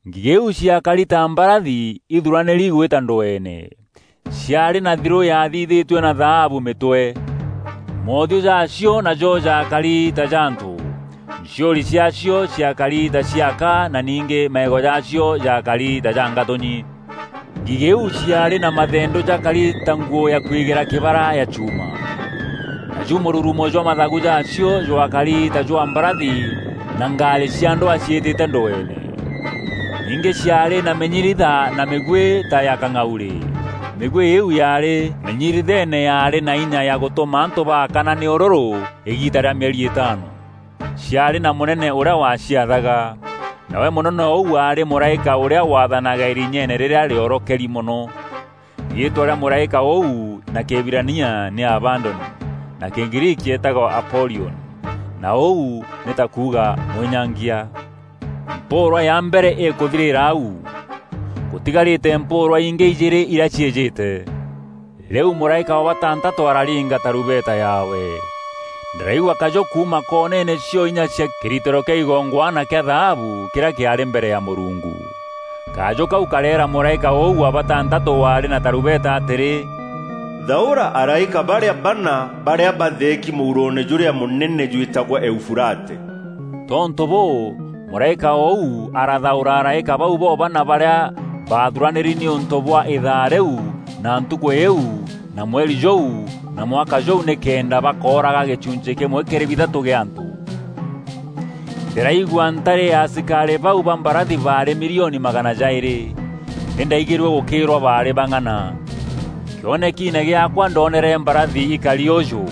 Ngigîu ciakari ta mbarathi ithuranîri gwîta ndweene. Ciaarî na thirû yathithîtue na thaabu mîtwe. Moothiû jaacio najo jaakari ta ja antû. Nciûri ciaacio ciakari ta cia aka, na ningî maego jaacio jaakari ta ja ngatûnyi. Ngigîu ciaarî na mathendû jakari ta nguû ya kwigîra kîbara ya chuuma. Naju mûrurumo jwa mathagu jaacio jwakari ta jwa mbarathi na ngaarî cia ndwaa ciîtîte ndweene. Ningî ciaarî na mînyiritha na mîguî ta ya kang'aurî. Mîguî îîu yaarî mînyiritheene yaarî na inya ya gûtûma antû baakana nî ûrûrû îgiita rîa mîeri îtaano. Ciaarî na mûnene ûrîa waciathaga. Nawe mûnene ûu aarî mûraîka ûrîa waathanaga îrinyeene rîrîa rîorokeri mono. Riîtwa rîa mûraîka ûu na Kîhibirania nî Abadoni, na Kîgriiki eetagwa Apolioni, na ûu nî ta kuuga mwînyangia. Mpûûrwa ya mbere îkûthirîra au. Gûtigarîte mpûûrwa ingî ijîîrî irîa ciîjîte. Rîu mûraîka wa batantatû araringa tarumbeta yaawe. Ndîraigua kajû kuuma koneene cio inya cia kîritîro kîa igongwana kîa thaabu kîrîa kîaarî mbere ya Mûrungu. Kajû kau kareera mûraîka ûu wa batantatû waarî na tarumbeta atîrî, "Thaûra araîka barîa bana barîa batheeki mûuroone jûrîa mûnene jwîtagwa Eufurate." Tontû bûû, mûraîka ûu arathaûra araîka bau bobana barîa baathuranîri nîûntû bwa îthaa rîu, na ntukû îîu, na mweri jûu, na mwaka jûu, nîkenda bakooraga gîchunchî kîmwe kîrî bithatû gîa antû. Ndîraigua ntarî ya asikarî bau ba mbarathi baarî milioni magana jaîrî, nî ndaigîrue gûkîîrwa baarî bang'ana. Kîonekiine gîaakwa ndoonere mbarathi ikari ûjû.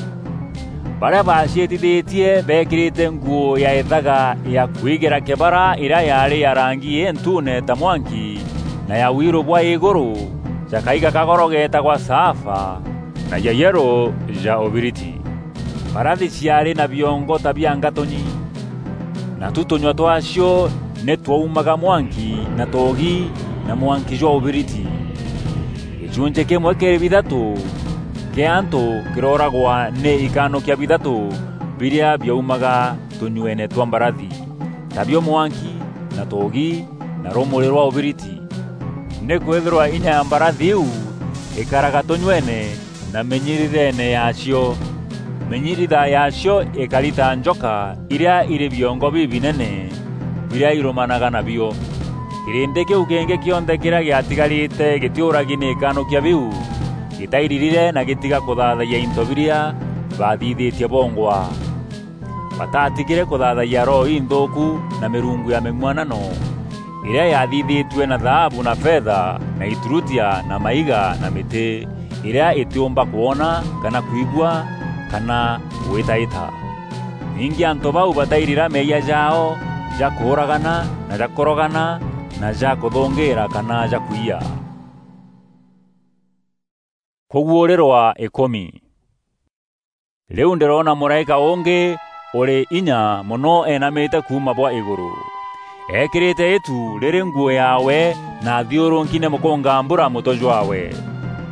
Barîa baaciîtithîtie beekîrîte nguû ya îthaga ya kwigîra kîbara îrîa yaarî ya rangi întuune ta mwanki na ya wiirû bwa îgûrû, ja kaiga ka goro geetagwa saafa, na ja yerû ja ûbiriti. Mbarathi ciaarî na biongo ta bia ngatûnyi, natu tûnyua twaacio nî twaumaga mwanki na toogi na mwanki jwa ûbiriti. Gîchunchî kîmwe kîrî bithatû kîa antû kîrooragwa nî ikanûkia bithatû birîa biaumaga tûnyueene twa mbarathi, tabio mwanki, na toogi, na rûmûrî rwa ûbiriti. Nîkwîthîrwa inya ya mbarathi iu îkaraga tûnyueene na mînyiritheene yaacio. Mînyiritha yaacio îkari ta njoka irîa irî biongo bibinene birîa irûmanaga nabio. Kîrîndî kîu kîngî kîonthe kîrîa gîatigarîte gîtîûragi nî ikanûkia biu, gîtairirire na gîtiga kûthaathayia into birîa baathithîtie bongwa. Bataatigîre kûthaathayia roho inthûûku na mîrungu ya mîng'uanano, îrîa yaathithîtue na thaabu na fetha na iturutia na maiga na mîtî, îrîa îtîûmba kwona kana kwigua kana gwîtaîta. Ningî antû bau batairira meeyia jaao ja kûûragana na ja kûrogana na ja kûthûngîîra kana ja kwiya. Kûguûrîrwa îkûmi. Rîu ndîroona mûraîka ûngî ûrî inya mono eenamîte kuuma bwa îgûrû, eekîrîte îtu rîrî nguû yaawe na athiûrûki nî mûkûngambura mûtwe jwaawe.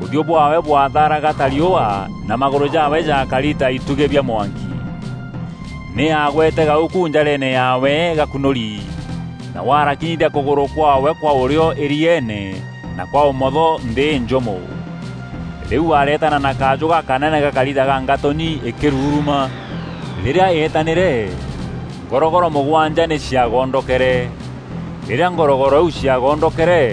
Ûthiû bwaawe bwathaaraga ta riûa, na magûrû jaawe jaakari ta itugî bia mwanki. Nî aagwete gaûku njareene yaawe gakunûri, na warakinyithia kûgûrû kwaawe kwa ûrîo îrieene, na kwa ûmotho nthî njûmû. Rîu areetana na kajû gakanene gakari ta ga ngatûnyi îkîruruma. Rîrîa eetanîre, ngorogoro mûgwanja nî ciagondokere. Rîrîa ngorogoro iu ciagondokere,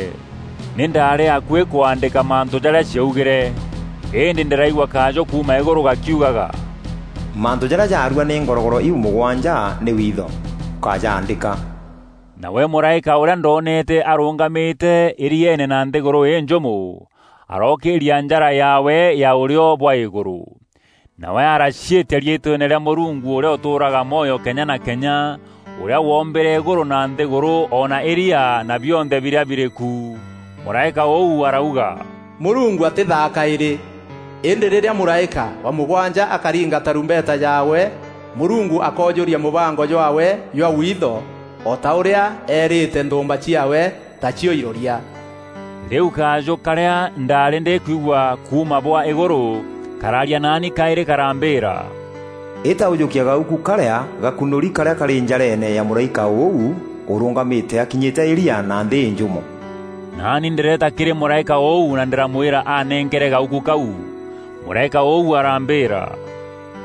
nî ndaarî akuî kwaandîka mantû jarîa ciaugîre, îndî ndîraigua kajû kuuma îgûrû gakiugaga, "Mantû jarîa jaarua nî ngorogoro iu mûgwanja nî witho, ûkajaandîka." Nawe mûraîka ûrîa ndoonete arûngamîte îrieene na nthîgûrû înjûmû, arookîîria njara yaawe ya ûrîo bwa îgûrû. Nawe araciîtia riîtweene rîa Mûrungu ûrîa ûtûûraga mwoyo kenya na kenya, ûrîa woombîre îgûrû na nthîgûrû, o na îria na bionthe birîa birî ku. Mûraîka ûu arauga, "Mûrungu atîthaa kaîrî." Îndî rîrîa mûraîka wa mûgwanja akaringa tarumbeta yaawe, Mûrungu akoojûria mûbango jwaawe jwa witho, o ta ûrîa eerîte nthûûmba ciaawe, tacio iroria. Rîu kajû karîa ndaarî ndîkwigua kuuma bwa îgûrû karaaria naani kaîrî karambîîra, "Îta ûjûkia gaûku karîa gakunûri karîa karî njareene ya mûraîka ûu, urungamite akinyite iria na nthi injumu. Naani ndireeta kiri muraika uu na ndiramwira anenkere gauku kau. Muraika uu arambira,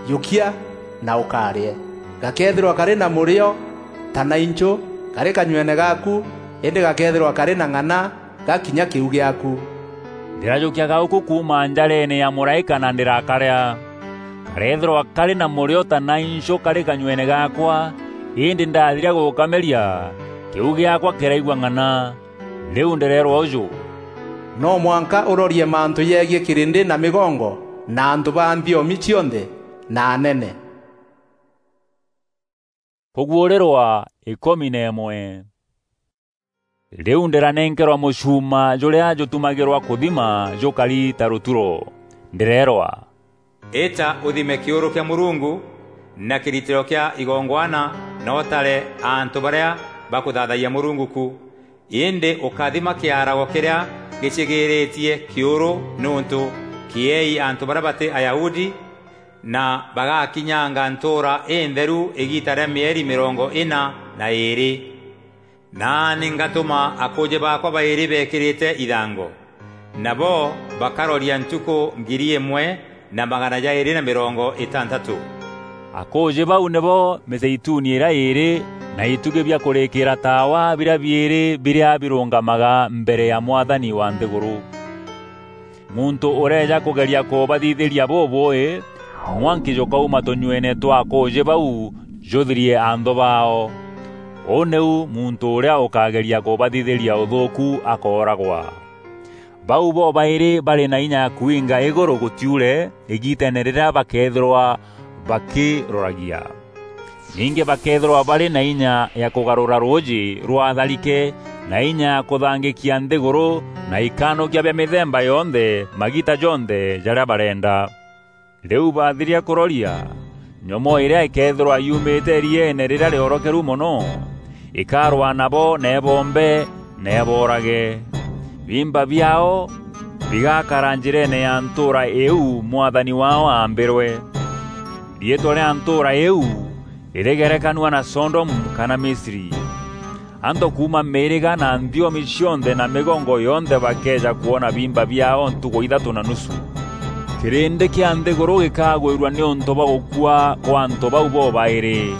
"Jukia na ukarie. Gakeethirwa kari na murio ta na inchu kari kanyuene gaaku, indi gakeethirwa kari na ng'ana gakinya kiu giaaku." Ndirajukia gauku kuuma njareene ya muraika na ndirakaria. Kareethirwa kari na murio ta na inchu kari kanyuene gaakwa, indi ndathiria gukameria, kiu giaakwa kiraigua ng'ana. Riu ndireerwa uju, "No mwanka urorie mantu jegie kirindi na migongo na antu ba nthiomi cionthe na anene." Kuguurirwa ikumi na imwe. Riu ndiranenkerwa mucuuma juria jutumagirwa kuthima jukari ta ruturo. Ndireerwa, "Ita uthime kiuru kia Murungu na kiritiro kia igongwana, na utare antu baria bakuthathayia Murungu ku. Indi ukathima kiarago kiria gicigiritie kiuru, niuntu kieei antu baria bati Ayahudi, na bagakinyanga ntuura intheru igiita ria mieri mirongo ina na iiri. Naani ngatuma akuuji baakwa bairi bekirite ithango, nabo bakaroria ntuku ngiri imwe na magana jairi na mirongo itantatu." Akuuji bau nibo mizeituni iria iiri na itugi bia kurikiira taawa biria biiri biria birungamaga mbere ya Mwathani wa nthiguru. Muntu ureeja kugeria kubathithiria bubui, mwanki jukauma tunyuene twa akuuji bau juthirie anthu baao. Uu niu muntu uria ukageria kubathithiria uthuuku akooragwa. Bau bobairi bari na inya ya kwinga iguru gutiure igiiteene riria bakeethirwa bakiroragia. Ningi bakeethirwa bari na inya ya kugarura ruuji rwa tharike, na inya ya kuthangikia nthiguru na ikanukia bia mithemba yonthe magiita jonthe jaria barenda. Riu bathiria kuroria, nyomoo iria ikeethirwa yuumite irieene riria riorokeru mono, ikarwaa nabo na iboombe na iboorage. Biimba biaao bigakara njireene ya ntuura iu Mwathani waao aambirwe. Riitwa ria ntuura iu ririgerekanua na Sodomu kana Misri. Antu kuuma miiriga na nthiomi cionthe na migongo yonthe bakeeja kwona biimba biaao ntuku ithatu na nusu. Kirindi kia nthiguru gikagwirua niuntu bwa gukua kwa antu bau bobairi.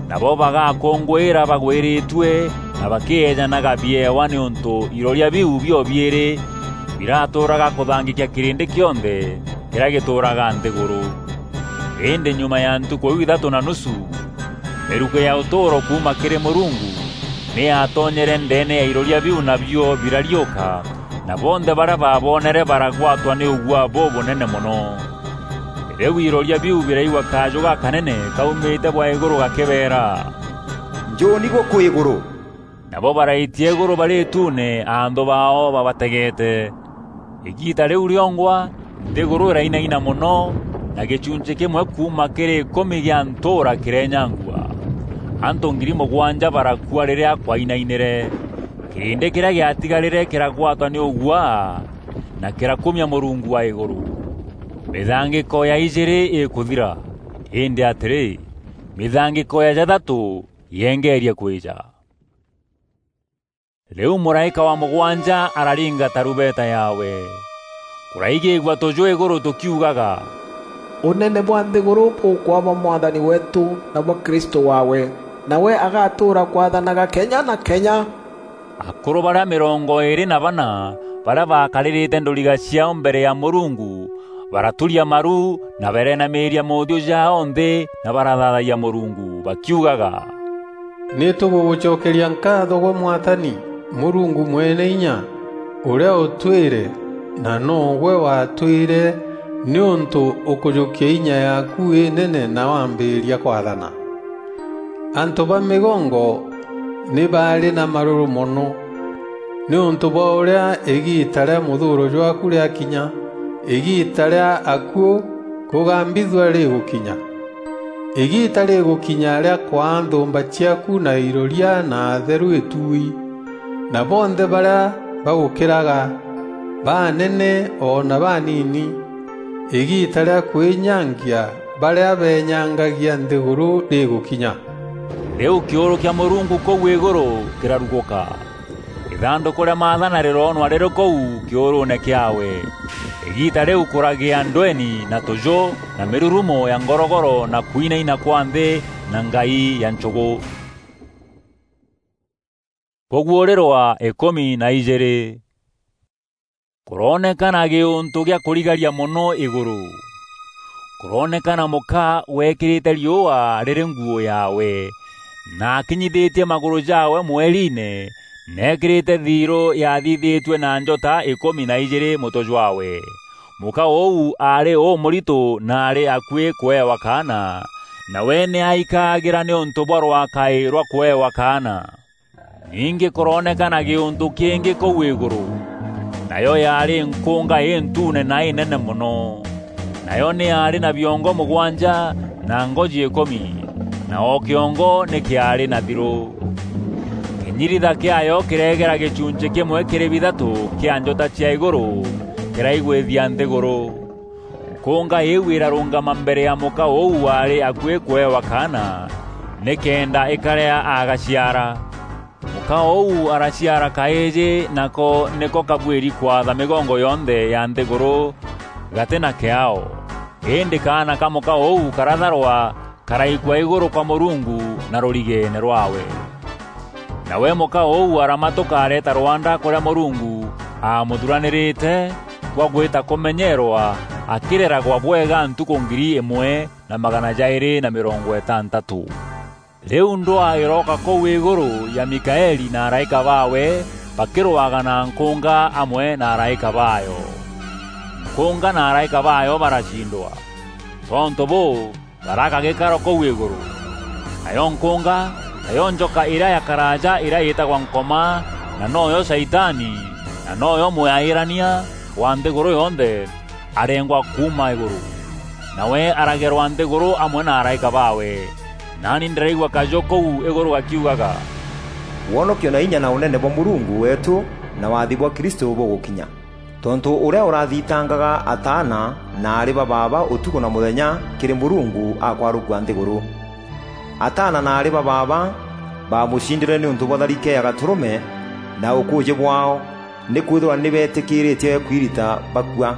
Nabo bagakunguira bagwiritue na bakieejanaga biewa niuntu iroria biu bio biiri biratuuraga kuthangikia kirindi kionthe kiria gituuraga nthiguru. Indi nyuma ya ntuku iu ithatu na nusu, miruko ya utuuro kuuma kiri Murungu ni yatonyere ndeene ya iroria biu, nabio birariuka, na bonthe baria baabonere baragwatwa ni uguaa bubunene mono. Riu iroria biu biraigua kaaju gakanene kaumite bwa iguru gakibeera, "Njuuni guku iguru!" Nabo baraitia iguru bari ituune anthu baao babategeete. Igiita riu riongwa, nthiguru irainaina mono, na gichunchi kimwe kuuma kiri ikumi gia ntuura kirenyangua. Antu ngiri mugwanja barakua riria kwainainire. Kirindi kiria giatigarire kiragwatwa ni uguaa, na kirakumia Murungu wa iguru. Mithangiko ya ijiri ikuthira, indi atiri, mithangiko ya jathatu yengeeria kwija. Riu muraika wa mugwanja araringa tarumbeta yaawe. Kuraigigua tuju iguru tukiugaga, "Unene bwa nthiguru bukwaa bwa Mwathani weetu na bwa Kristu waawe, nawe agatuura kwathanaga kenya na kenya." Akuru baria mirongo iiri na bana, baria baakaririte nduriga ciaao mbere ya Murungu, baraturia maru na bareenamiiria moothiu jaao nthi na barathaathayia Murungu, bakiugaga, "Ni tugugucokeria nkaatho gwe Mwathani, Murungu Mwene Inya, uria utwire, na noogwe watwire, niuntu ukujukia inya yaaku inene na wambiiria kwathana. Antu ba migongo ni baari na maruru mono, niuntu bwa uria igiita ria muthuuro jwaaku riakinya, igiita ria akuu kugambithua rigukinya. Igiita rigukinya ria kwaa nthumba ciaaku na iroria na atheru ituui, na bonthe baria bagukiraga, banene o na banini, igiita ria kwinyangia baria benyangagia nthiguru rigukinya." Rîu kîûrû kîa Mûrungu kûu îgûrû kîrarugûka. Îthandûkû rîa maathana rîroonwa rîrî kûu kîûrûûne kîaawe. Îgiita rîu kûragîa ndweni na tûjû na mîrurumo ya ngorogoro na kwinaina kwa nthî na ngai ya nchûgû. Kûguûrîrwa îkûmi na ijîîrî. Kûroonekana gîûntû gîa kûrigaria mono îgûrû. Kûroonekana mûka weekîrîte riûa rîrî nguû yaawe, na akinyithîtie magûrû jaawe mweriine, na eekîrîte thiirû yaathithîtue na njota îkûmi na ijîîrî mûtwe jwaawe. Mûka ûu aarî ûmûritû na aarî akuî kûewa kaana, nawe nî aikagîra nîûntû bwa rwakaî rwa kûewa kaana. Ningî kûroonekana gîûntû kîngî kûu îgûrû, nayo yaarî nkûnga întuune na înene mono. Nayo nî yaarî na biongo mûgwanja na ngoji îkûmi, na o kîongo nî kîaarî na thirû. Kînyiritha kîaayo kîreegera gîchunchî kîmwe kîrî bithatû kîa njota cia îgûrû kîraigwîthia nthîgûrû. Nkûnga îîu îrarûngama mbere ya mûka ûu waarî akuî kûewa kaana, nîkenda îkarîa agaciara. Mûka ûu araciara kaîjî, nako nîko kabuîri kwatha mîgongo yonthe ya nthîgûrû gatî na kîaao. Îndî kaana ka mûka ûu karatharwa, karaikua îgûrû kwa Mûrungu na rûrigeene rwaawe. Nawe mûka ûu aramatûka areeta rwanda kûrîa Mûrungu aamûthuranîrîte gwa gwîta kûmenyeerwa, akîreragwa bwega ntukû ngiri îmwe na magana jaîrî na mîrongo îtantatû. Rîu ndwaa îrooka kûu îgûrû ya Mikaeli na araîka baawe bakîrwaga na nkûnga amwe na araîka baayo. Nkûnga na araîka baayo baracindwa. Tontû bûû, baraka gîkaro kûu îgûrû. Nayo nkûnga, nayo njoka îrîa ya karaaja îrîa yîtagwa Nkoma, na noyo Shaitani, na noyo mûyaîrania wa nthîgûrû yonthe, arengwa kuuma îgûrû. Nawe aragerwa nthîgûrû amwe na araîka baawe. Naani ndîraigua kajû kûu îgûrû gakiugaga, "Wonokio na inya na ûnene bwa Mûrungu weetû na wathi bwa Kristû bûgûkinya." Tontû ûrîa ûrathitangaga ataana na aarî ba baaba ûtukû na mûthenya kîrî Mûrungu akwarûkua nthîgûrû. Ataana na aarî ba baaba baamûcindîre nîûntû bwa tharike ya gatûrûme na ûkûûjî bwaao, nîkwîthîrwa nî beetîkîrîtie kwirita bakua.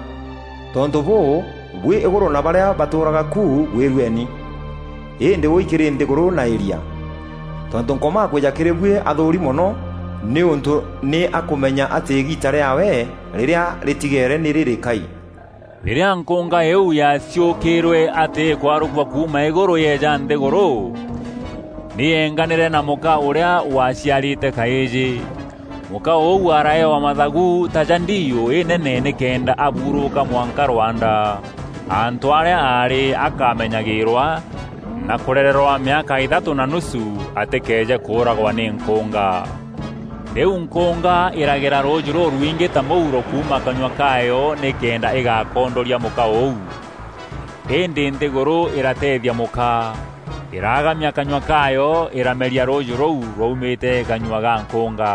Tontû bûû, buî îgûrû na barîa batûûraga ku, gwîrueni. Îndî ûi kîrî nthîgûrû na îria. Tontû Nkoma akwîja kîrî buî athûûri mono, nîûntû nî akûmenya atî îgiita rîaawe rîrîa rîtigeere nî rîrîkai. Rîrîa nkûnga îîu yaaciûkîîrwe atî îkwarûkua kuuma îgûrû yeeja nthîgûrû, nî yeenganîre na mûka ûrîa waciarîte kaîjî. Mûka ûu araewa mathagu ta ja ndiiû înene nîkenda abuurûka mwanka rwanda. Antû arîa aarî akamenyagîîrwa na kûrererwa mîaka îthatû na nusu atîkeeje kûûragwa nî nkûnga. Rîu nkûnga îragera rûûjî rûrwingî ta mûuro kuuma kanyua kaayo nîkenda îgakondoria mûka ûu. Îndî nthîgûrû îrateethia mûka, îragamia kanyua kaayo, îrameria rûûjî rûu rwaumîte kanyua ga nkûnga.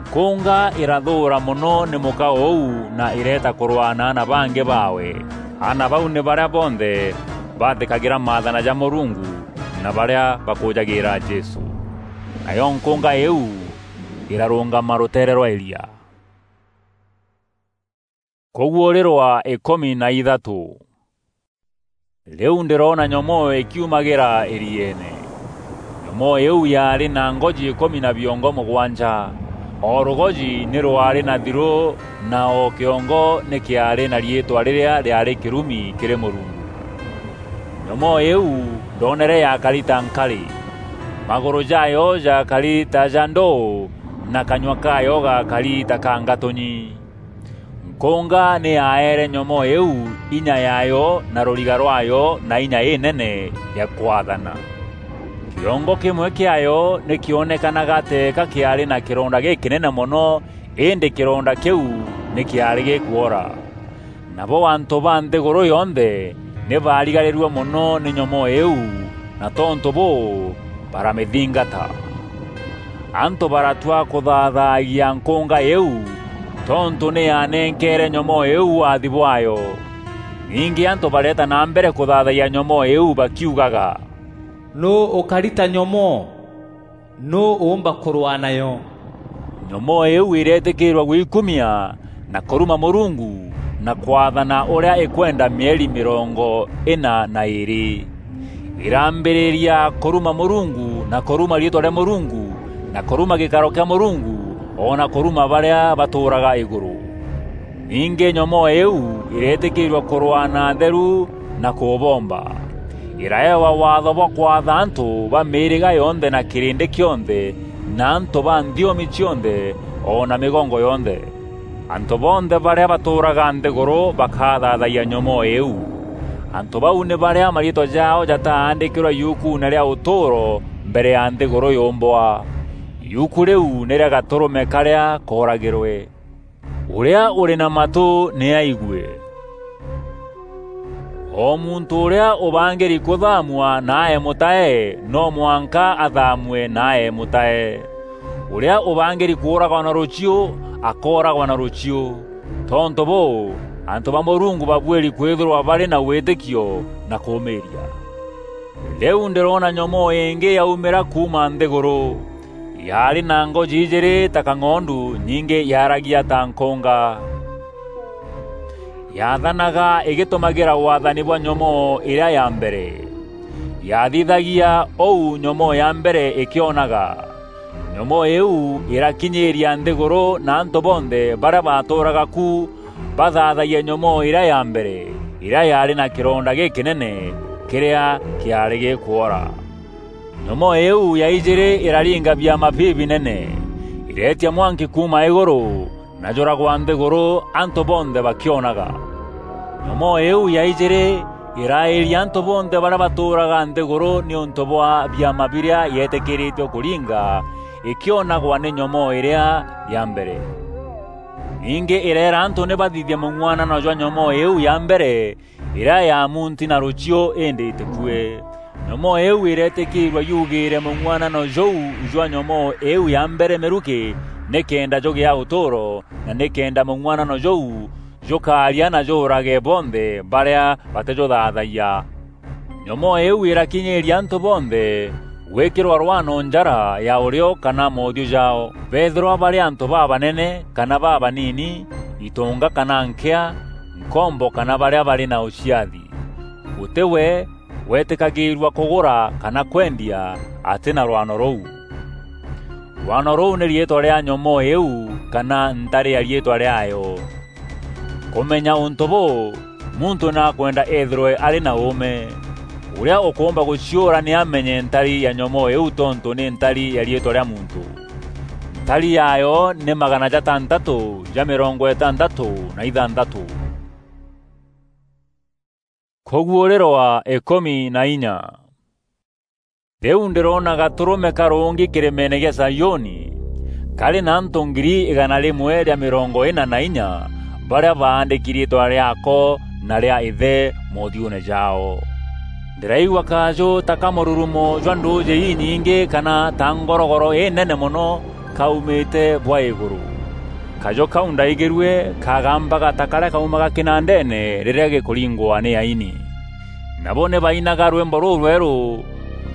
Nkûnga îrathûûra mono nî mûka ûu na îreeta kûrwaa na aana bangî baawe. Aana bau nî barîa bonthe bathîkagîra maathana ja Mûrungu na barîa bakûûjagîîra Jesû. Nayo nkûnga îîu îrarûngama rûteere rwa îria. Kûguûrîrwa îkûmi na ithatû. Rîu ndîroona nyomoo îkiumagîra îrieene. Nyomoo îîu yaarî na ngoji îkûmi na biongo mûgwanja. O rûgoji nî rwaarî na thirû, na o kîongo nî kîaarî na riîtwa rîrîa rîaarî kîrumi kîrî Mûrungu. Nyomoo îîu ndoonere yakari ta nkarî. Magûrû jaayo jakari ta ja ndûû, na kanyua kaayo gakari ta ka ngatûnyi. Nkûnga nî yaeere nyomoo îîu inya yaayo na rûriga rwaayo na inya înene ya kwathana. Kîongo kîmwe kîaayo nî kîonekanaga teeka kîaarî na kîronda gîkînene mono, îndî kîronda kîu nî kîaarî gîkwora. Nabo antû ba nthîgûrû yonthe nî baarigarîrue mono nî nyomoo îîu, na tontû bûû, baramîthingata. Antû baratua kûthathaagia nkûnga îîu, tontû nî yaanenkeere nyomoo îîu wathi bwaayo. Ningî antû bareeta na mbere kûthathayia nyomoo îîu bakiugaga, Nûû ûkarita nyomoo? Nûû ûûmba kûrwaa nayo? Nyomoo îîu îreetîkîîrua gwikumia na kûruma Mûrungu na kwathana ûrîa îkwenda mieri mîrongo îna na îîrî. Îrambîrîria kûruma Mûrungu na kûruma riîtwa rîa Mûrungu na kûruma gîkaro kîa Mûrungu, o na kûruma barîa batûûraga îgûrû. Ningî nyomoo îîu îreetîkîîrua kûrwaa na atheru na kûbomba. Îraewa waatho bwa kwatha antû ba mîîrîga yonthe na kîrîndî kîonthe na antû ba nthiomi cionthe o na mîgongo yonthe. Antû bonthe barîa batûûraga nthîgûrû bakathaathayia nyomoo îîu. Antû bau nî barîa mariîtwa jaao jataandîkîrwe yukuune rîa ûtûûro mbere ya nthîgûrû yûmbwa. Yuku rîu nî rîa Gatûrûme karîa kooragîrwe. Ûrîa ûrî na matû nî aigue. O muntû ûrîa ûbangîri kûthaamua na aee mûtae, no mwanka athaamue na aee mûtae. Ûrîa ûbangîri kûûragwa na rûchiû, akooragwa na rûchiû. Tontû bûû, antû ba Mûrungu babuîri kwîthîrwa barî na wîtîkio na kûûmîîria. Rîu ndîroona nyomoo îngî yaumîra kuuma nthîgûrû. Yaarî na ngoji ijîîrî ta kang'ondu, ningî yaaragia ta nkûnga. Yaathanaga îgîtûmagîra waathani bwa nyomoo îrîa ya mbere. Yaathithagia ûu nyomoo ya mbere îkîonaga. Nyomoo îîu îrakinyîîria nthîgûrû na antû bonthe barîa baatûûraga ku bathaathagia nyomoo îrîa ya mbere, îrîa yaarî na kîronda gîkînene kîrîa kîaarî gîkwora. Nyomoo îîu ya ijîîrî îraringa biama bibinene, îreetia mwanki kuuma îgûrû, na jûragwa nthîgûrû antû bonthe bakîonaga. Nyomoo îîu ya ijîîrî îraîria antû bonthe barîa batûûraga nthîgûrû nîûntû bwa biama birîa yeetîkîrîtue kûringa îkîonagwa nî nyomoo îrîa ya mbere. Ningî îreera antû nî bathithie mûng'uanano jwa nyomoo îîu ya mbere, îrîa ya munti na rûchiû îndî îtîkue. Nyomoo îîu îreetîkîîrua yugîîre mûng'uanano jûu jwa nyomoo îîu ya mbere mîrukî, nîkenda jûgîa ûtûûro, na nîkenda mûng'uanano jûu jûkaaria na jûûrage bonthe barîa batîjûthaathagia. Nyomoo îîu îrakinyîîria antû bonthe gwîkîrwa rwano njara ya ûrîo kana moothiû jaao, beethîrwa barî antû babanene kana babanini, itûnga kana nkîa, nkombo kana barîa barî na ûciathi. Gûtî we weetîkagîîrua kûgûra kana kwendia atî na rwano rûu. Rwano rûu nî riîtwa rîa nyomoo îîu kana ntarî ya riîtwa rîaayo. Kûmenya ûntû bûû, muntû nakwenda eethîrwe arî na ûûme. Ûrîa ûkûûmba gûciûra nî amenye ntari ya nyomoo îîu tontû nî ntari ya riîtwa rîa muntû. Ntari yaayo nî magana jatantatû ja mîrongo îtantatû na ithantatû. Kûguûrîrwa îkûmi na inya. Rîu ndîroona Gatûrûme karûngi kîrîmeene gîa Zaiûni, karî na antû ngiri îgana rîmwe rîa mîrongo îna na inya, barîa baandîki riîtwa rîaako na rîa Îthe moothiûûne jaao. Ndîraigua kajû ta ka mûrurumo jwa ndûûjî inyingî kana ta ngorogoro înene mono kaumîte bwa îgûrû. Kajû kau ndaigîrue kagambaga ta karîa kaumaga kînandeene rîrîa gîkûringwa nî aini. Nabo nî bainaga rwîmbo rûrwerû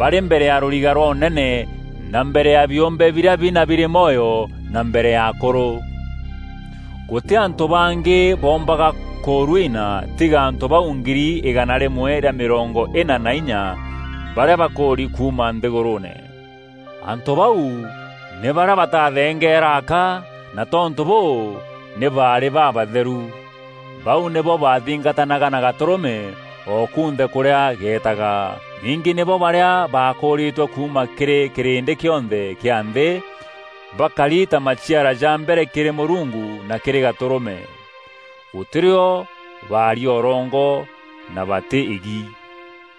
barî mbere ya rûriga rwa ûnene, na mbere ya biûmbe birîa bina birî mwoyo, na mbere ya akûrû. Gûtî antû bangî boombaga kûrwina tiga antû bau ngiri îgana rîmwe rîa mîrongo îna na inya barîa bakûûri kuuma nthîgûrûûne. Antû bau nî barîa batathengeera aka, na tontû bûû, nî baarî babatheru. Bau nîbo baathingatanaga na Gatûrûme o kunthe kûrîa geetaga. Ningî nîbo barîa baakûûrîtwe kuuma kîrî kîrîndî kîonthe kîa nthî, bakari ta maciara ja mbere kîrî Mûrungu na kîrî Gatûrûme. Gûtî rîo baaria ûrongo na batî îgi.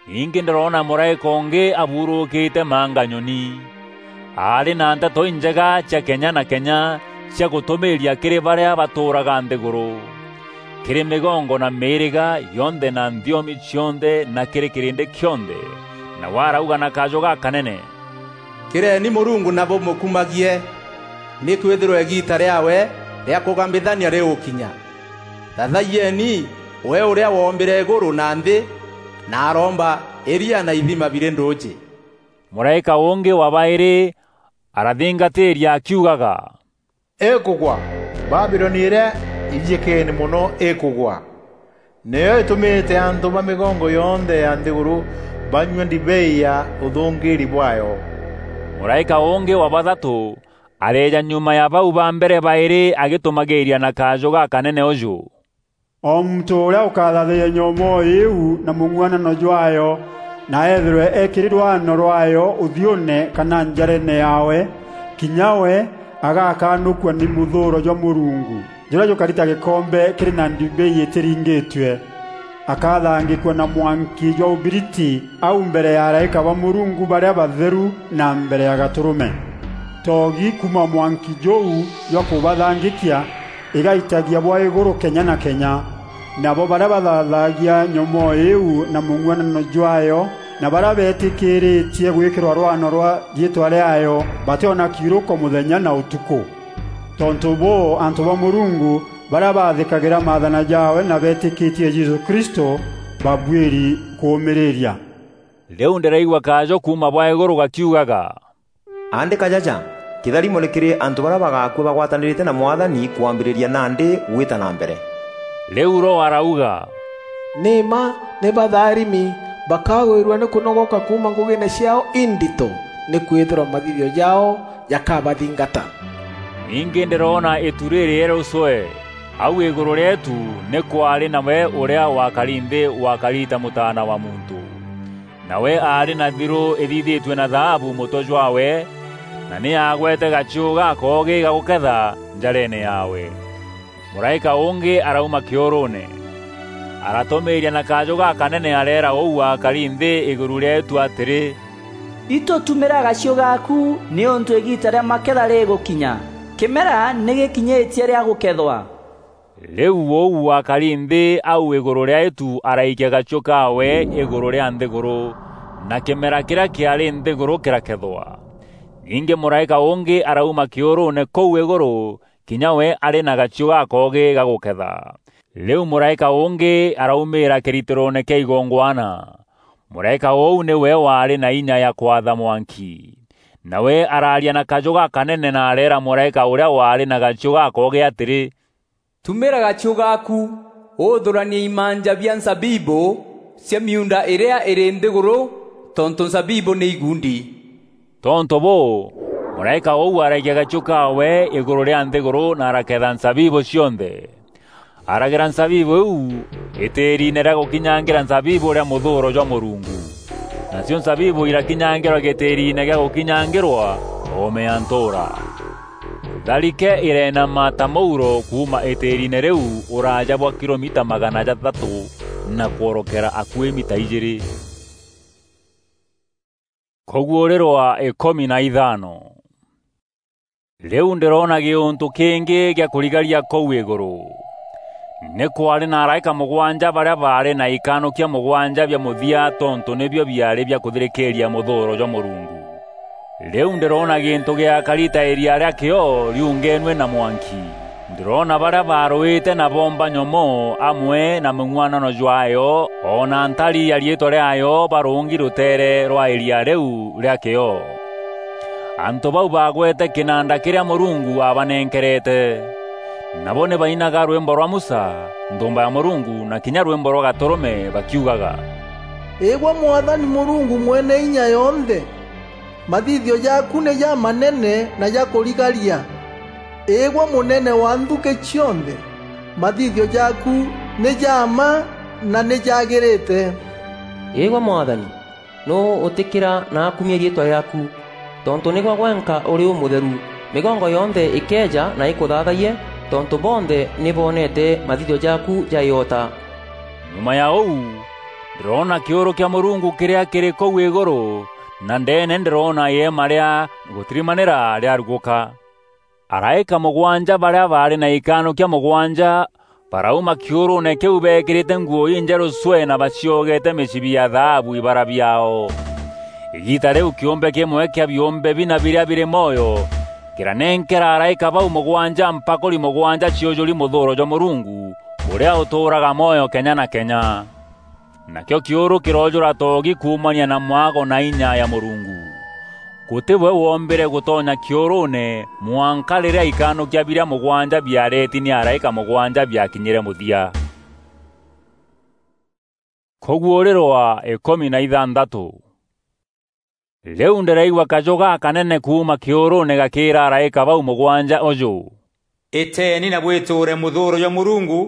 Ningî ndîroona mûraîka ûngî aburûkîte manga nyoni. Aarî na nteto injega cia kenya na kenya cia gûtûmîîria kîrî barîa batûûraga nthîgûrû, kîrî mîgongo na mîîrîga yonthe na nthiomi cionthe na kîrî kîrîndî kîonthe. Nawe arauga na kajû gakanene, "Kîreeni Mûrungu na bûmûkumagie, nîkwîthîrwa îgiita rîaawe rîa kûgambithania rîgûkinya. Thathayieni we ûrîa woombîre îgûrû na nthî, na aroomba îria na ithima birî ndûûjî." Mûraîka ûngî wa baîrî arathingatiiria akiugaga, "Îkûgwa! Babiloni îrîa îriîkeene mono îkûgwa! Nîyo îtûmîte antû ba mîgongo yonthe ya nthîgûrû banyua ndibei ya ûthûngîîri bwaayo." Mûraîka ûngî wa bathatû areeja nyuma ya bau ba mbere baîrî agîtûmagîîria na kajû gakanene ûjû, "O muntû ûrîa ûkathathayia nyomoo îîu na mûng'uanano jwaayo, na eethîrwe ekîri rwano rwaayo ûthiûûne kana njareene yaawe, kinya we agakanûkua nî mûthûûro jwa Mûrungu, jûrîa jûkari ta gîkombe kîrî na ndibei îtîringîtue. Akathangîkua na mwanki jwa ûbiriti au mbere ya araîka ba Mûrungu barîa batheru na mbere ya Gatûrûme. Toogi kuuma mwanki jûu jwa kûbathangîkia îgaitagia bwa îgûrû kenya na kenya. Nabo barîa bathathaagia nyomoo îîu na mûng'uanano jwaayo, na barîa beetîkîrîtie gwîkîrwa rwano rwa riîtwa rîaayo, batîona kiurûko mûthenya na ûtukû. Tontû bûû, antû ba Mûrungu barîa baathîkagîra maathana jaawe na beetîkîtie Jesû Kristû babuîri kûûmîrîria." Rîu ndîraigua kajû kuuma bwa îgûrû gakiugaga, "Aandîka jaja, kîtharimo nî kîrî antû barîa bagaakua bagwatanîrîte na Mwathani kwambîrîria nandî gwîta na mbere." Rîu Roho arauga, "Nî mma nî batharimi, bakagwîrua nî kûnogoka kuuma ngûgîîne ciaao indito, nîkwîthîrwa mathithio jaao jakabathingata." Ningî ndîroona îtu rîrîerûcwe. Au îgûrû rîeetu nî kwaarî nawe ûrîa wakari nthî wakari ta mûtaana wa muntû. Nawe aarî na thirû îthithîtue na thaabu mûtwe jwaawe, na nî aagwete gachiû gakoogî ga gûketha njareene yaawe. Mûraîka ûngî arauma kîûrûûne, aratûmîîria na kajû gakanene areera ûu wakari nthî îgûrû rîeetu atîrî, "Itû tumîra gachiû gaaku, nîûntû îgiita rîa maketha rîgûkinya. Kîmera nî gîkinyîtie rîa gûkethwa." Rîu ûu wakari nthî au îgûrû rîa îtu araikia gachiû kaawe îgûrû rîa nthîgûrû, na kîmera kîrîa kîaarî nthîgûrû kîrakethwa. Ningî mûraîka ûngî arauma kîûrûûne kûu îgûrû, kinya we arî na gachiû gakoogî ga gûketha. Rîu mûraîka ûngî araumîîra kîritîroone kîa igongwana. Mûraîka ûu nîwe waarî na inya ya kwatha mwanki. Nawe araaria na kajû gakanene na areera mûraîka ûrîa waarî na gachiû gakoogî atîrî, "Tumîra gachiû gaaku, ûthûranie imanja bia nzabibû cia miunda îrîa îrî nthîgûrû, tontû nzabibû nî igundi." Tontû bûû, mûraîka ûu araikia gachiû kaawe îgûrû rîa nthîgûrû na araketha nzabibû cionthe. Aragîra nzabibû îîu îtîîriine rîa gûkinyangîra nzabibû rîa mûthûûro jwa Mûrungu. Nacio nzabibû irakinyangîrwa gîtîîriine gîa gûkinyangîrwa, oome ya ntûûra. Tharike îreenama ta mûuro kuuma îtîîriine rîu ûraaja bwa kilomita magana jathatû na kworokera akuî mita ijîîrî. Kûguûrîrwa îkûmi na ithano. Rîu ndîroona gîûntû kîngî gîa kûrigaria kûu îgûrû. Nî kwaarî na araîka mûgwanja barîa baarî na ikanûkia mûgwanja bia mûthia, tontû nîbio biaarî bia kûthirîkîîria mûthûûro jwa Mûrungu. Rîu ndîroona gîntû gîakari ta îria rîa kîoo riungenue na mwanki. Ndîroona barîa baarûîte na boomba nyomoo amwe na mûng'uanano jwaayo, o na ntari ya riîtwa rîaayo barûngi rûteere rwa îria rîu rîa kîoo. Antû bau baagwete kînanda kîrîa Mûrungu aabanenkerete. Nabo nî bainaga rwîmbo rwa Musa, nthûûmba ya Mûrungu, na kinya rwîmbo rwa Gatûrûme, bakiugaga, "Îgwe Mwathani Mûrungu Mwene-Inya-Yonthe, mathithio jaaku nî jamanene na ja kûrigaria. Îgwe Mûnene wa nthukî cionthe, mathithio jaaku nî ja mma na nî jaagîrîte." Îgwe Mwathani, nûû ûtîkîra na akumia riîtwa rîaaku? Tontû nîgwe gwenka ûrî ûmûtheru. Mîgongo yonthe îkeeja na îkûthaathayie, tontû bonthe nî boonete mathithio jaaku ja îota. Nyuma ya ûu, ndîroona kîûrû kîa Mûrungu kîrîa kîrî kûu îgûrû, na ndeene ndîroona îeema rîa gûtirimanîra rîarugûka. Araîka mûgwanja barîa baarî na ikanûkia mûgwanja barauma kîûrûûne kîu beekîrîte nguû injerû cwee na baciogete mîcibi ya thaabu ibara biaao. Îgiita rîu kîûmbe kîmwe kîa biûmbe bina birîa birî mwoyo kîranenkera araîka bau mûgwanja mpakûri mûgwanja ciûjûri mûthûûro jwa Mûrungu, ûrîa ûtûûraga mwoyo kenya na kenya. Nakîo kîûrû kîroojûra toogi kuumania na mwago na inya ya Mûrungu. Gûtî we woombîre gûtonya kîûrûûne mwanka rîrîa ikanûkia birîa mûgwanja biareeti nî araîka mûgwanja biakinyîre mûthia. Kûguûrîrwa îkûmi na ithanthatû. Rîu ndîraigua kajû gakanene kuuma kîûrûûne gakîîra araîka bau mûgwanja ûjû, "Îteeni na bwîtûûre mûthûûro jwa Mûrungu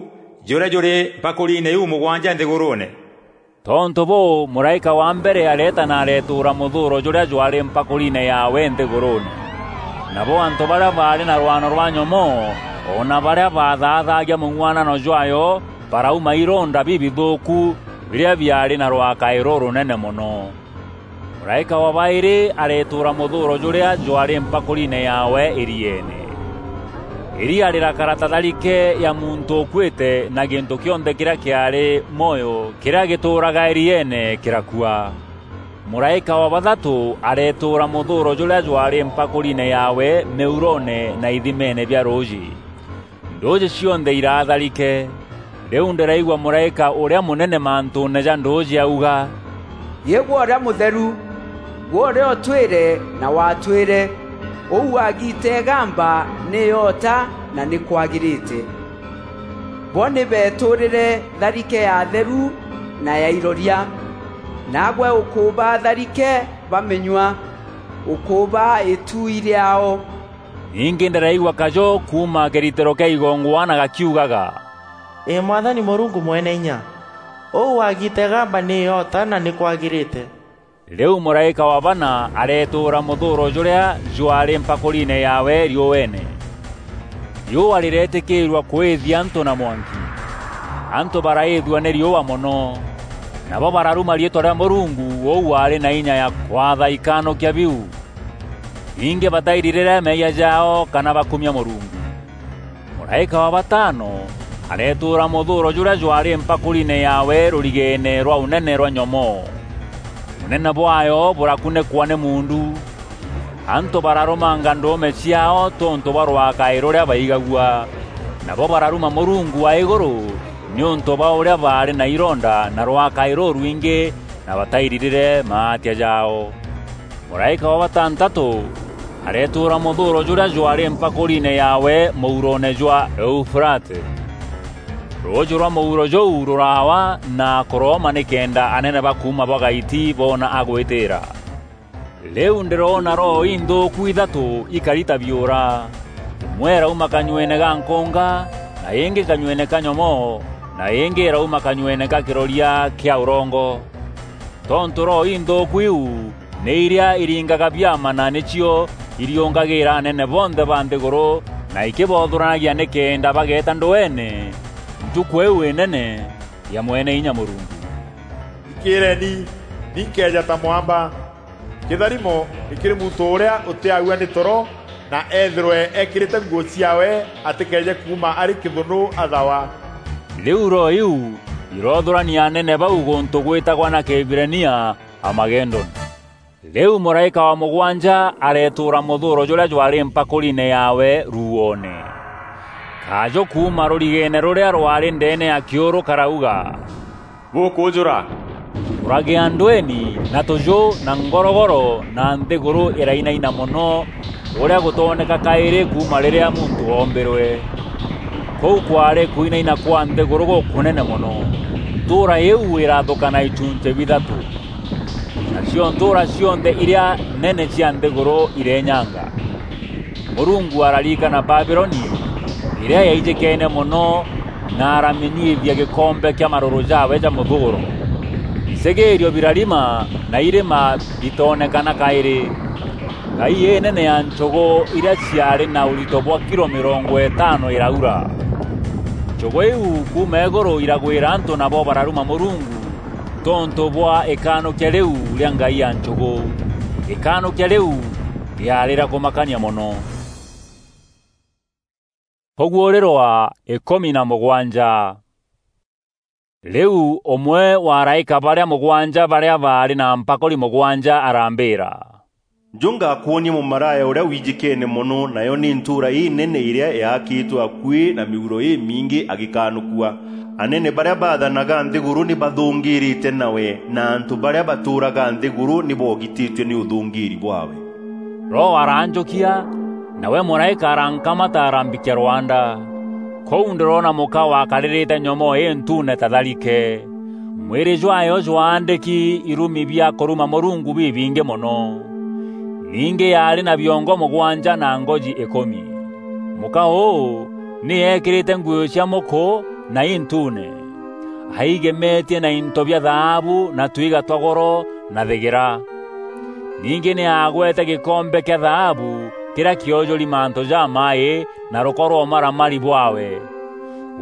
jûrîa jûrî mpakûriine iu mûgwanja nthîgûrûûne." Tontû bûû, mûraîka wa mbere areeta na aretûûra mûthûûro jûrîa jwaarî mpakûriine yaawe nthîgûrûûne. Nabo antû barîa baarî na rwano rwa nyomoo, o na barîa baathaathagia mûng'uanano jwaayo, barauma ironda bibithûûku birîa biaarî na rwakaî rûrûnene mono. Mûraîka wa baîrî aretûûra mûthûûro jûrîa jwaarî mpakûriine yaawe îrieene. Îria rîrakara ta tharike ya muntû ûkuîte, na gîntû kîonthe kîrîa kîaarî mwoyo kîrîa gîtûûraga îrieene kîrakua. Mûraîka wa bathatû aretûûra mûthûûro jûrîa jwaarî mpakûriine yaawe mîuroone na ithimeene bia rûûjî. Ndûûjî cionthe iraa tharike. Rîu ndîraigua mûraîka ûrîa mûnene mantûûne ja ndûûjî auga, "Gî gwe ûrîa mûtheru, gwe ûrîa ûtwîre na watwîre, ûu wagiite îgamba nî îota na nî kwagîrîte. Bo nî beetûûrîre tharike ya atheru na ya iroria, naagwe ûkûbaa tharike bamînyua, ûkûbaa îtuui rîaao." Ningî ndîraigua kajû kuuma kîritîro kîa igongwana gakiugaga, "Îî Mwathani Mûrungu Mweneinya, ûu wagiite îgamba nî îota na nî kwagîrîte." Rîu mûraîka wa bana aretûûra mûthûûro jûrîa jwaarî mpakûriine yaawe riûeene. Riûa rîreetîkîîrua kwîthia antû na mwanki. Antû baraîthua nî riûa mono, nabo bararuma riîtwa rîa Mûrungu ûu waarî na inya ya kwatha ikanûkia biu. Ningî batairirîre meeyia jaao kana bakumia Mûrungu. Mûraîka wa batano aretûûra mûthûûro jûrîa jwaarî mpakûriine yaawe rûrigeene rwa ûnene rwa nyomoo. Ûnene bwaayo bûrakunîkwa nî muundu. Antû bararûmanga ndûûme ciaao tontû bwa rwakaî rûrîa baigagua. Nabo bararuma Mûrungu wa îgûrû nîûntû bwa ûrîa baarî na ironda na rwakaî rûrwingî na batairirîre maatia jaao. Mûraîka wa batantatû aretûûra mûthûûro jûrîa jwaarî mpakûriine yaawe mûuroone jwa Eufurate. Rûûjû rwa mûuro jûu rûraawa na kûrooma nîkenda anene ba kuuma bwa gaiti boona a gwîtîîra. Rîu ndîroona roho inthûûku ithatû ikari ta biûra. Îmwe îrauma kanyueene ga nkûnga, na îngî kanyueene ka nyomoo, na îngî îrauma kanyueene ga kîroria kîa ûrongo. Tontû roho inthûûku iu nî irîa iringaga biama na nîcio iriûngagîîra anene bonthe ba nthîgûrû na ikîbothûranagia nîkenda bageeta ndweene ntukû îîu înene ya Mwene Inya Mûrungu. Thikîîreeni, ni nkeeja ta mwamba. Kîtharimo nî kîrî muntû ûrîa ûtîaua nî toro, na eethîrwe ekîrîte nguû ciaawe atîkeeje kuuma arî kîthûnû athawa. Rîu roho iu irothûrania anene bau gûntû gwîtagwa na Kîhibirania Amagedoni. Rîu mûraîka wa mûgwanja aretûûra mûthûûro jûrîa jwaarî mpakûriine yaawe ruuoone. Kajû kuuma rûrigeene rûrîa rwaarî ndeene ya kîûrû karauga, "Bûkûûjûra!" Kûragîa ndweeni na tûjû na ngorogoro na nthîgûrû îrainaina mono, ûrîa gûtooneka kaîrî kuuma rîrîa muntû oombîrwe. Kûu kwaarî kwinaina kwa nthîgûrû gûkûnene mono. Ntûûra îîu îrathûka na ichunchî bithatû. Nacio ntûûra cionthe irîa nene cia nthîgûrû irenyanga. Mûrungu araririkana Babiloni, îrîa yaijîkeene mono, na aramînyuithia gîkombe kîa marûrû jaawe ja mûthûûro. Bicegîîrio birarima, na irîma bitoonekana kaîrî. Ngai înene ya nchûgû irîa ciaarî na ûrito bwa kilo mîrongo îtano îraura. Nchûgû iu kuuma îgûrû iragwîra antû, nabo bararuma Mûrungu tontû bwa îkanûkia rîu rîa ngai ya nchûgû. Îkanûkia rîu rîaarî rîa kûmakania mono. Kûguûrîrwa îkûmi na mûgwanja. Rîu ûmwe wa araîka barîa mûgwanja barîa baarî na mpakûri mûgwanja arambîîra, "Njû ngakwonie mûmaraya ûrîa wijîkeene mono, nayo nî ntûûra înene îrîa yaakîtwe akuî na mîuro îmingî agîkanûkua. Anene barîa baathanaga nthîgûrû nî bathûngîîrîte nawe, na antû barîa batûûraga nthîgûrû nî boogitîtue nî ûthûngîîri bwaawe." Roho aranjukia, nawe muraika arankamata arambikia rwanda. Kuu ndiroona muka wakaririte nyomoo intuune ta tharike. Mwiri jwayo jwaandiki irumi bia kuruma Murungu bibingi mono. Ningi yaari na biongo mugwanja na ngoji ikumi. Muka uu ni eekirite nguo cia muku na intuune. Aigemetie na into bia thaabu na twiga twa goro na thigira. Ningi ni aagwete gikombe kia thaabu kiria kiojuri mantu jamai na ruko rwa umaramari bwawe.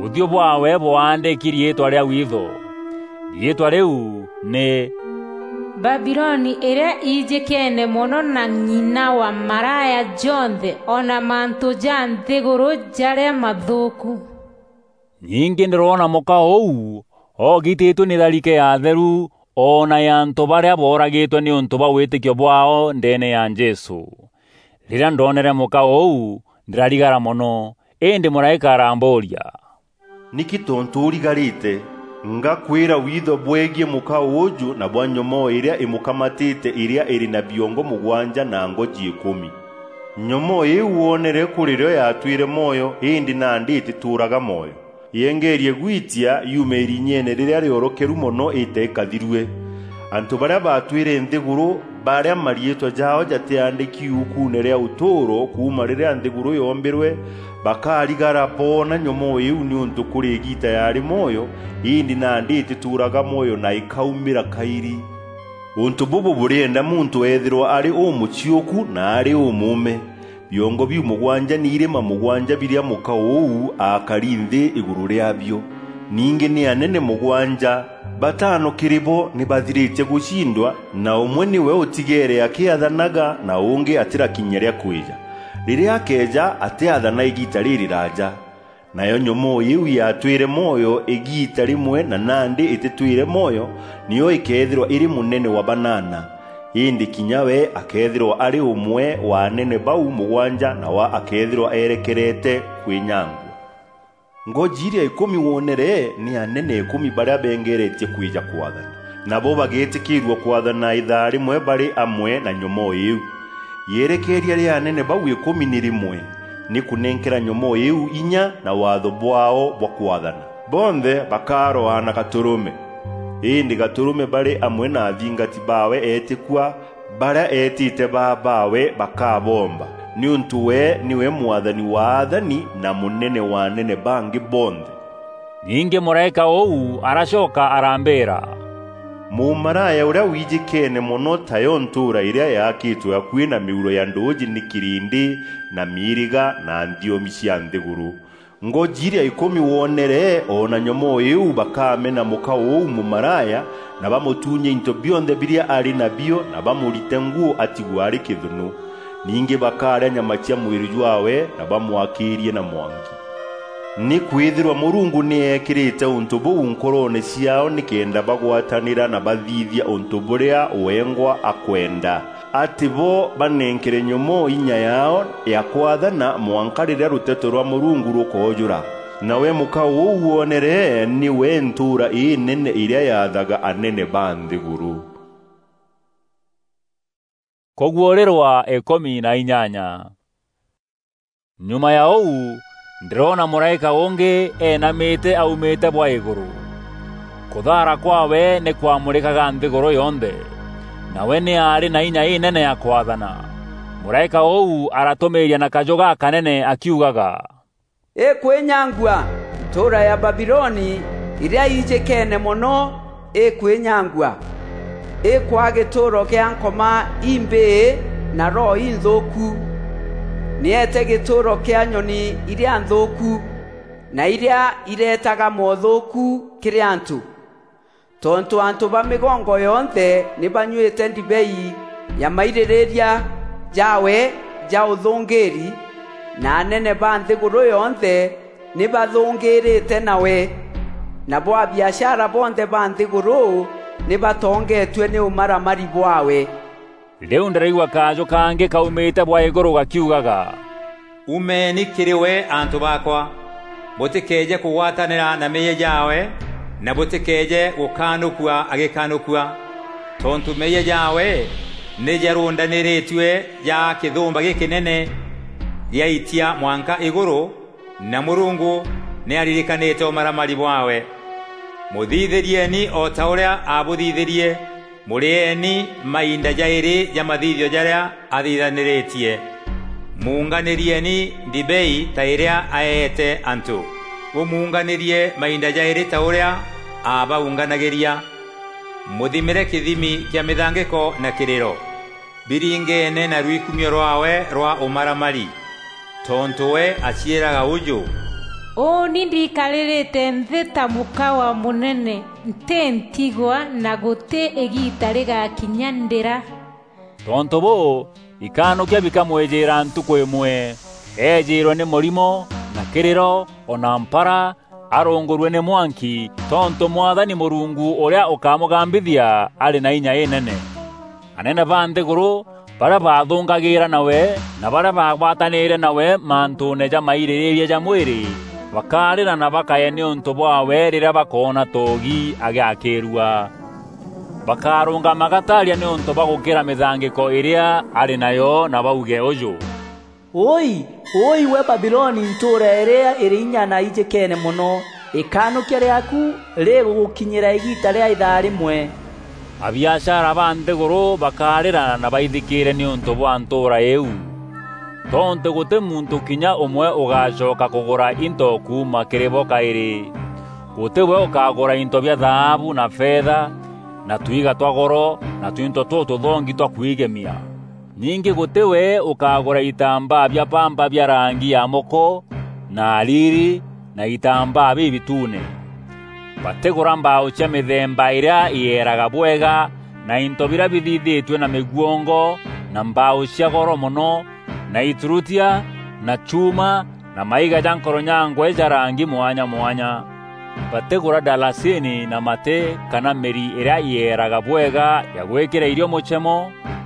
Uthiu bwawe bwaandiki riitwa ria witho. Riitwa riu ni Babiloni iria iijikene mono na ng'ina wa maraya jonthe, o na mantu ja nthiguru jaria mathuuku. Ningi ndiroona muka uu oogititue ni tharike ya atheru, o na ya antu baria booragitwe niuntu bwa witikio bwaao ndeene ya Jesu. Riria ndoonere muka uu, ndirarigara mono, indi muraika arambuuria, "Niki tontu urigarite? Ngakwira witho bwegie muka uuju na bwa nyomoo iria imukamatite iria iri na biongo mugwanja na ngoji ikumi. Nyomoo iu woonere kuri rio yatwire mwoyo, indi nandi itituuraga mwoyo. Yengerie gwitia yume irinyene riria riorokeru mono ite ikathirue. Antu baria baatwire nthiguru, baria mariitwa jaao jatiaandiki iukuune ria utuuro kuuma riria nthiguru yoombirwe, bakarigara boona nyomoo iu, niuntu kuri igiita yaari mwoyo, indi nandi itituuraga mwoyo na ikaumira kairi. Untu bubu burienda muntu eethirwa ari umuciuku na ari umuume." Biongo biu mugwanja ni irima mugwanja biria muka uu aakari nthi iguru riabio. Ningi ni anene mugwanja, batano kiri bo ni bathiritie gucindwa, na umwe niwe utigeere akiathanaga, na ungi atirakinyia ria kwija. Riria akeeja, atiathana igiita ririraaja. Nayo nyomoo iu yatwire mwoyo igiita rimwe na nandi ititwire mwoyo, niyo ikeethirwa iri munene wa banana. Indi kinya we akeethirwa ari umwe wa anene bau mugwanja, nawe akeethirwa erekerete kwinyangua. Ngoji iria ikumi woonere ni anene ikumi baria bengeretie kwija kwathana. Nabo bageetikiirua kwathana ithaa rimwe bari amwe na nyomoo iu. Yerekeeria ria anene bau ikumi ni rimwe, ni kunenkera nyomoo iu inya na waatho bwaao bwa kwathana. Bonthe bakaroa na gaturume. Indi gaturume bari amwe na athingati baawe eetikua, baria eetite baa baawe bakabomba, niuntu we niwe mwathani wa athani na munene wa anene bangi bonthe. Ningi muraika uu aracoka arambira, "Mumaraya uria wiijikene mono tayo ntuura iria yaakitwe akui na miuro ya nduuji ni kirindi na miiriga na nthiomi cia nthiguru. Ngoji iria ikumi woonere, o na nyomoo iu bakamena muka uu mumaraya, na bamutunye into bionthe biria ari nabio, na bamurite nguu atigwe ari kithunu. Ningi bakaria nyama cia mwiri jwawe, na bamwakiirie na mwanki. Nikwithirwa Murungu ni eekirite untu buu nkoroone ciaao nikenda bagwatanira na bathithia untu buria wengwa akwenda, ati bo banenkere nyomoo inya yaao ya kwathana mwanka riria ruteto rwa Murungu rukoojura. Nawe muka uu woonere niwe ntuura inene iria yaathaga anene ba nthiguru." Kuguurirwa ikumi na inyanya. Nyuma ya uu, ndiroona muraika ungi eenamite aumite bwa iguru. Kuthaara kwawe ni kwamurikaga nthiguru yonthe, nawe ni aari na inya inene ya kwathana. Muraika uu aratumiiria na kaju gakanene akiugaga, "Ikwinyangua! Ntuura ya Babiloni iria iijikene mono ikwinyangua! Ikwaa gituuro kia nkoma imbii na roho inthuuku! Ni eete gituuro kia nyoni iria nthuuku, na iria ireetaga moothuuku kiri antu. Tontu antu ba migongo yonthe ni banyuite ndibei ya maiririria jaawe ja uthungiiri, na anene ba nthiguru yonthe ni bathungiirite nawe, nabo abiashara bonthe ba nthiguru ni batongeetue ni umaramari bwaawe." Riu ndiraigua kaju kangi kaumite bwa iguru gakiugaga, "Umeni kiri we, antu baakwa, butikeeje kugwatanira na meeyia jaawe, na butikeeje gukaanukua agikanukua, tontu meeyia jaawe Nî jarûndanîrîtue ja kîthûmba gîkînene giaitia mwanka îgûrû, na Mûrungu nî aririkanîte ûmaramari bwaawe. Mûthithîrieni o ta ûrîa aabûthithîrie, mûrîeni mainda jaîrî ja mathithio jarîa athithanîrîtie. Muunganîrieni ndibei ta îrîa aeete antû, bûmuunganîrie mainda jaîrî ta ûrîa aabaunganagîria. Mûthimîre kîthimi kîa mîthangîko na kîrîro. Biringeene na rwikumio rwaawe rwa ûmaramari, tontû we aciîraga ûjû: "Ûûni ndikarîrîte nthî ta mûka wa mûnene, ntî ntigwa na gûtî îgiita rîgakinya ndîra." Tontû bûû, ikanûkia bikamwîjîîra ntukû îmwe. Eejîîrwe nî mûrimo, na kîrîro, o na mpara, arûngûrue nî mwanki, tontû Mwathani Mûrungu ûrîa ûkamûgambithia arî na inya înene. Anene ba nthîgûrû, barîa baathûngagîîra nawe, na barîa baagwatanîîre nawe mantûûne ja mairîrîîria ja mwîrî, bakarîra na bakaye nîûntû bwaawe rîrîa bakoona toogi agîakîîrua. Bakarûngama gataaria nîûntû bwa gûkîra mîthangîko îrîa arî nayo, na bauge ûjû: "Wûûi, wûûi gwe Babiloni, ntûûra îrîa îrî inya na ijîkeene mono! Îkanûkia rîaaku rîgûgûkinyîra îgiita rîa îthaa rîmwe." Abiashara ba nthîgûrû bakarîra na baithikîîre nîûntû bwa ntûûra îîu, tontû gûtî muntû kinya ûmwe ûgacoka kûgûra into kuuma kîrî bo kaîrî. Gûtî we ûkagûra into bia thaabu na fetha, na twiga twa goro, na twinto tûtûthongi twa kwigemia. Ningî gûtî we ûkagûra itambaa bia pamba bia rangi ya mûkû, na ariri, na itambaa bibituune. Batîgûra mbaaû cia mîthemba îrîa îeeraga bwega, na into birîa bithithîtue na mîguongo, na mbaaû cia goro mono, na iturutia, na chuuma, na maiga ja nkoronyangwe ja rangi mwanya mwanya. Batîgûra ndalasini na matî, kana mîri îrîa îeeraga bwega ya gwîkîra îrio mûchemo,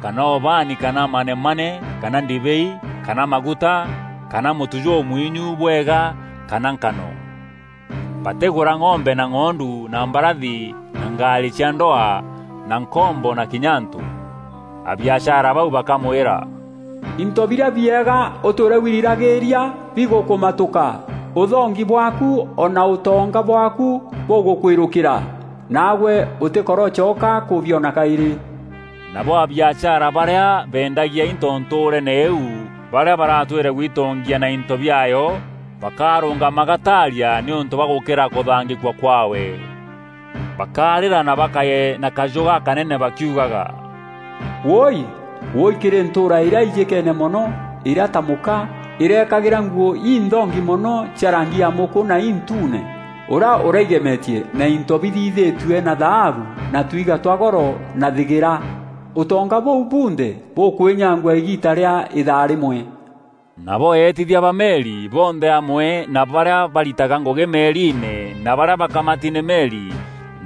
kana ûbaani, kana manemane, kana ndibei, kana maguta, kana mûtu jûmwinyu bwega, kana nkano. Batîgûra ng'ombe na ng'ondu na mbarathi na ngaarî cia ndwaa na nkombo na kinya antû. Abiashara bau bakamwîra, "Into birîa biega ûtwîre wiriragîîria bigûkûmatûka, ûthongi bwaaku o na ûtonga bwaaku bûgûkwîrûkîra, naagwe ûtîkorocoka kûbiona kaîrî." Nabo abiashara barîa beendagia into ntûûreene îîu, barîa baratwîre gwitongia na into biaayo, bakarûngama gataaria nîûntû bwa gûkîra kûthangîkua kwaawe. Bakarîra na bakaye na kajû gakanene bakiugaga, "Wûûi! Wûûi kîrî ntûûra îrîa ijîkeene mono, îrîa ta mûka, îrekagîra nguû inthongi mono cia rangi ya mûkû na intuune, ûrîa ûraigemetie na into bithithîtue na thaabu na twiga twa goro na thîgîra! Ûtonga bûu bunthe bûkwînyangua îgiita rîa îthaa rîmwe." Nabo eetithia ba meri bonthe amwe na barîa baritaga ngûgî meriine na barîa bakamati nî meri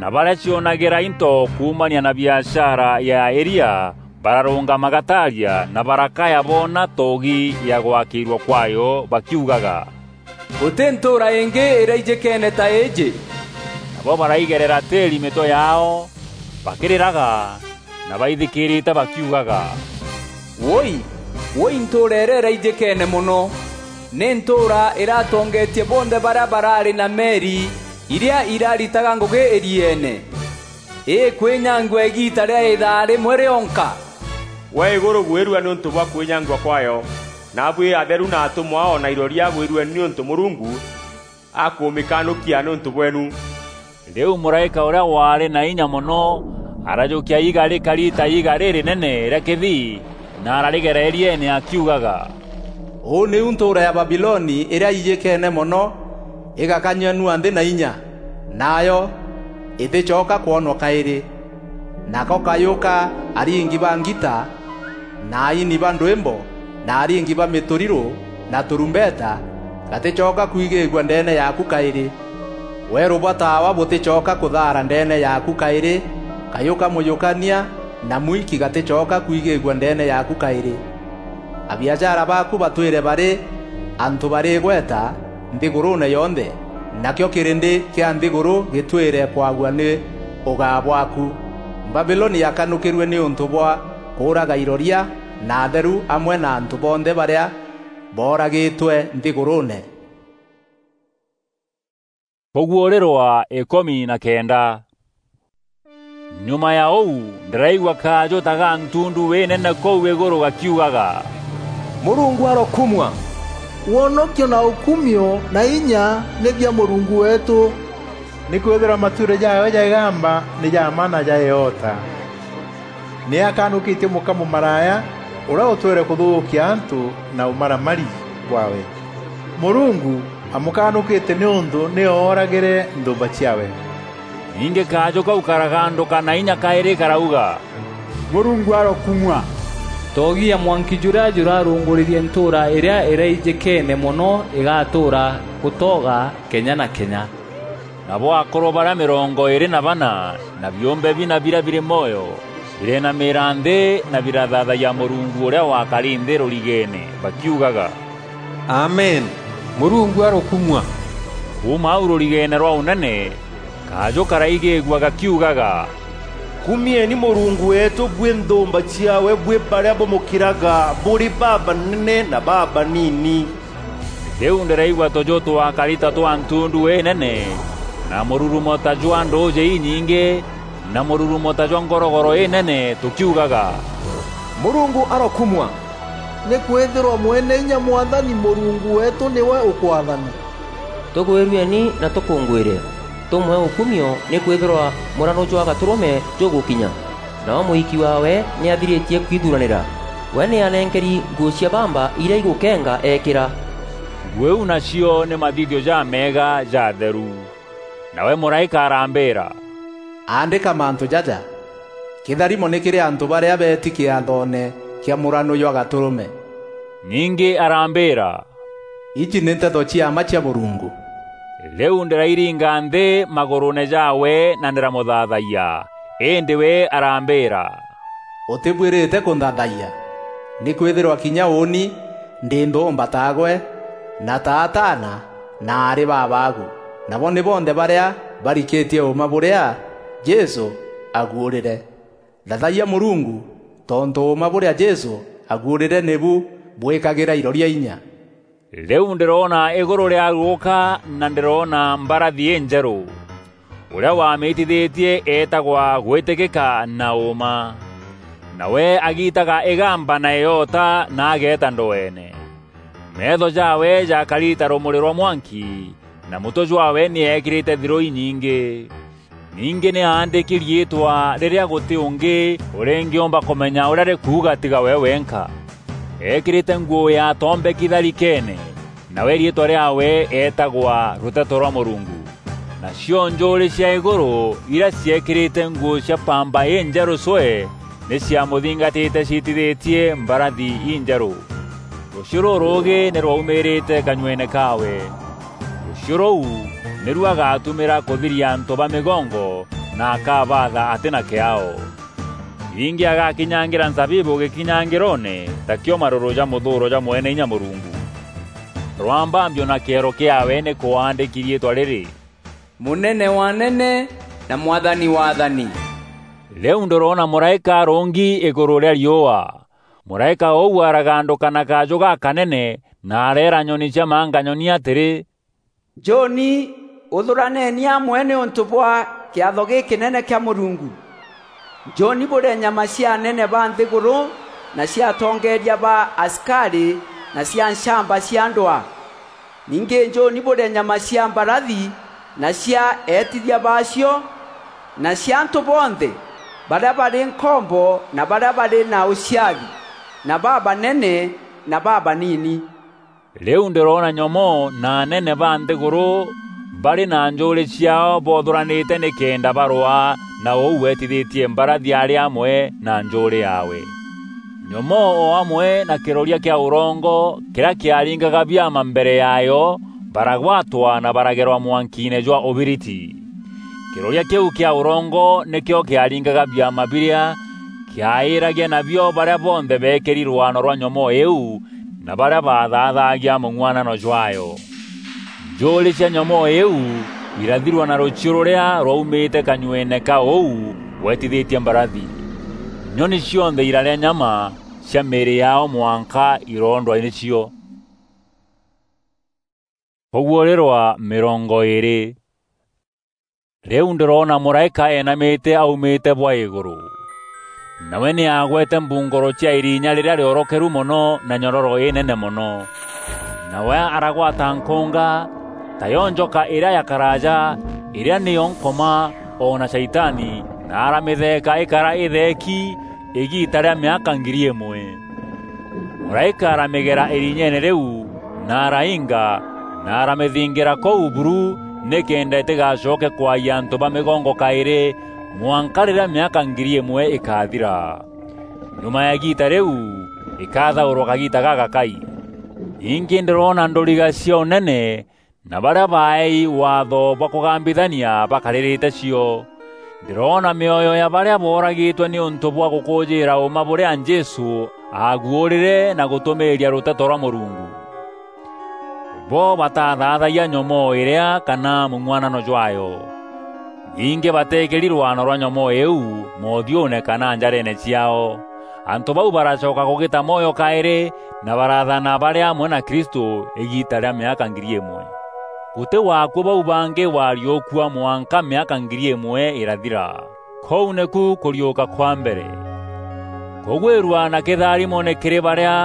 na barîa cionagîra into kuumania na biashara ya îria bararûngama gataaria na barakaya boona toogi ya gwakîîrua kwaayo bakiugaga, "Gûtî ntûûra îngî îraijîkeene ta îîjî." Nabo baraigerera tîîri mîtwe yaao bakîrîraga na baithikîrîte bakiugaga, "Wûûi, wûûi ntûûra îrîa îraijîkeene mono! Nî ntûûra îratongetie bonthe barîa baraarî na meri irîa iraritaga ngûgî îrieene! Îkwînyangua îgiita rîa îthaa rîmwe rîonka!" "Gwe îgûrû gwîrua nîûntû bwa kwînyangua kwaayo! Naabuî atheru na atûmwa o na iroria bwîrue nîûntû Mûrungu akûmîkanûkia nîûntû bweenu." Rîu mûraîka ûrîa waarî na inya mono arajûkia iiga rîkari ta iiga rîrînene rîa kîthii, na ararîgera îrieene akiugaga, "Ûu nîu ntûûra ya Babiloni îrîa ijîkeene mono, îgakanyua nua nthî na inya, nayo îtîcoka kwonwa kaîrî. Nako kajû ka aringi ba ngita, na aini ba ndwîmbo, na aringi ba mîtûrirû, na tûrumbeta, gatîcoka kwigîîgua ndeene yaaku kaîrî. Weerû bwa taawa bûtîcoka kûthaara ndeene yaaku kaîrî, kajû ka mûjûkania na mwiki gatîcoka kwigîîgua ndeene yaaku kaîrî. Abiashara baaku batwîre barî antû barî îgweta nthîgûrûûne yonthe, nakîo kîrîndî kîa nthîgûrû gîtwîre kwagua nî ûgaa bwaaku. Babiloni akanûkîrue nîûntû bwa kuuraga iroria na atheru amwe na antu bonthe baria booragitwe nthiguruune. Kuguurirwa ikumi na kenda. Nyuma ya uu, ndiraigua kaaju ta ga ntundu inene kuu iguru gakiugaga, "Murungu arokumua! Wonokio na ukumio na inya ni bia Murungu weetu, nikwithirwa matuure jaawe ja igamba ni ja mma na ja iota. Ni akanukitie muka mumaraaya uria utwire kuthuukia antu na umaramari bwaawe. Murungu amukanukite niuntu ni ooragire nthumba ciaawe." Ningi kaaju kau karaganduka na inya kairi karauga, "Murungu arokumua! Toogi ya mwanki juria jurarunguririe ntuura iria iraijikene mono igatuura gutoga kenya na kenya." Nabo akuru baria mirongo iiri na bana, na biumbe bina biria biri mwoyo, bireenamira nthi na birathaathayia Murungu uria wakari nthi rurigeene, bakiugaga, "Amen! Murungu arokumua!" Kuuma au rurigeene rwa unene, kaaju karaigigua gakiugaga, "Kumieni Murungu weetu bwi nthumba ciaawe bwi baria bumukiraga buri babanene na babanini." Riu ndiraigua tuju twakari ta twa ntundu inene, na mururumo ta jwa nduuji inyingi, na mururumo ta jwa ngorogoro inene, tukiugaga, "Murungu arokumua! Nikwithirwa Mwene Inya Mwathani Murungu weetu niwe ukwathana." Tugwirueni na tukungwire, tumwe ukumio, nikwithirwa murano jwa gaturume jugukinya. Nawe muhiki waawe ni athiritie kwithuranira. We ni anenkeri nguu cia bamba iria igukenga eekira. Nguu iu nacio ni mathithio jameega ja atheru. Nawe muraika arambira, "Aandika mantu jaja, kitharimo ni kiri antu baria beeti kiathoone kia murano jwa gaturume." Ningi arambira, "Iji ni nteto cia mma cia Murungu." Riu ndirairinga nthi maguruune jaawe na ndiramuthathayia, indi we arambira, "Utibuirite kunthathayia, nikwithirwa kinya uuni ndi nthumba taagwe, na ta ataana na aari babaagu, nabo ni bonthe baria barikitie uuma buria Jesu aguurire. Thathayia Murungu, tontu uuma buria Jesu aguurire nibu bwikagira iroria inya." Riu ndiroona iguru riaguuka, na ndiroona mbarathi injeru. Uria wamitithitie eetagwa Gwitikika na Uuma. Nawe agiitaga igamba na iota na ageeta ndweene. Meetho jaawe jakari ta rumuri rwa mwanki, na mutwe jwaawe ni eekirite thiruu inyingi. Ningi ni aandiki riitwa riria guti ungi uringiumba kumenya uria rikuuga tiga we wenka. Eekirite nguu ya tombeki tharikeene, nawe riitwa riaawe eetagwa Ruteto rwa Murungu. Nacio njuuri cia iguru, iria ciekirite nguu cia mpamba injeru cwe, ni ciamuthingatite ciitithitie mbarathi injeru. Rucio ruruugi ni rwaumirite kanyuene kaawe. Rucio ruu niru agatumira kuthiria antu ba migongo, na akabaatha ati na kiao. Ningi agakinyangira nzabibu gikinyangiroone, takio maruru ja muthuuro jwa Mwene Inya Murungu. Rwambambio na kiero kiaawe ni kwaandiki riitwa riri, Munene wa anene na Mwathani wa athani. Riu ndiroona muraika arungi iguru ria riua. Muraika uu araganduka na kaaju gakanene, na areera nyoni cia manganyoni atiri, "Njoni, uthuraneni amwe niuntu bwa kiatho gikinene kia Murungu. Njoni burie nyama cia anene ba nthiguru, na cia atongeeria ba asikari, na cia nchamba cia ndwaa. Ningi njuni burie nyama cia mbarathi na cia eetithia baacio, na cia antu bonthe baria bari nkombo na baria bari na uciathi, na babanene na babanini." Riu ndiroona nyomoo na anene ba nthiguru bari na njuuri ciaao boothuranite nikenda barwaa na uu weetithitie mbarathi ari amwe na njuuri yaawe. Nyomoo o amwe na kiroria kia urongo kiria kiaringaga biama mbere yaayo baragwatwa na baragerwa mwankiine jwa ubiriti. Kiroria kiu kia urongo nikio kiaringaga biama biria kiairagia nabio baria bonthe beekiri rwano rwa nyomoo iu na baria baathaathagia mung'uanano jwaayo. Njuuri cia nyomoo iu irathirwa na ruchiu ruria rwaumite kanyuene ka uu weetithitie mbarathi. Nyoni cionthe irarîa nyama cia mîîrî yaao mwanka iroondwa nîcio. Kûguûrîrwa mîrongo îîrî. Rîu ndîroona mûraîka eenamîte aumîte bwa îgûrû. Nawe nî aagwete mbungoro cia îrinya rîrîa rîorokeru mono na nyororo înene mono. Nawe aragwata nkûnga, tayo njoka îrîa ya karaaja, îrîa nîyo Nkoma o na Shaitani, na aramîtheeka îkara îtheeki îgiita rîa mîaka ngiri îmwe. Mûraîka aramîgera îrinyeene rîu, na arainga, na aramîthingîra kûu buru, nîkenda îtîgacoke kwaayia antû ba mîgongo kaîrî, mwanka rîrîa mîaka ngiri îmwe îkathira. Nyuma ya îgiita rîu, îkathaûrwa kagiita gagakai. Ningî ndîroona ndûriga cia ûnene, na barîa baeei waatho bwa kûgambithania bakarîrîte cio. Ndîroona mîoyo ya barîa booragîtwe nîûntû bwa gûkûûjîîra ûûma bûrîa Jesû aaguûrîre na gûtûmîîria rûteto rwa Mûrungu. Bo batathaathayia nyomoo îrîa kana mûng'uanano jwaayo. Ningî bateekeri rwano rwa nyomoo îîu moothiûûne kana njareene ciaao. Antû bau baracoka kûgîta mwoyo kaîrî, na baraathana barî amwe na Kristû îgiita rîa mîaka ngiri îmwe. Gûtî wa akuû bau bangî wariûkua mwanka mîaka ngiri îmwe îrathira. Kûu nîku kûriûka kwa mbere. Kûgwîrua na kîtharimo nî kîrî barîa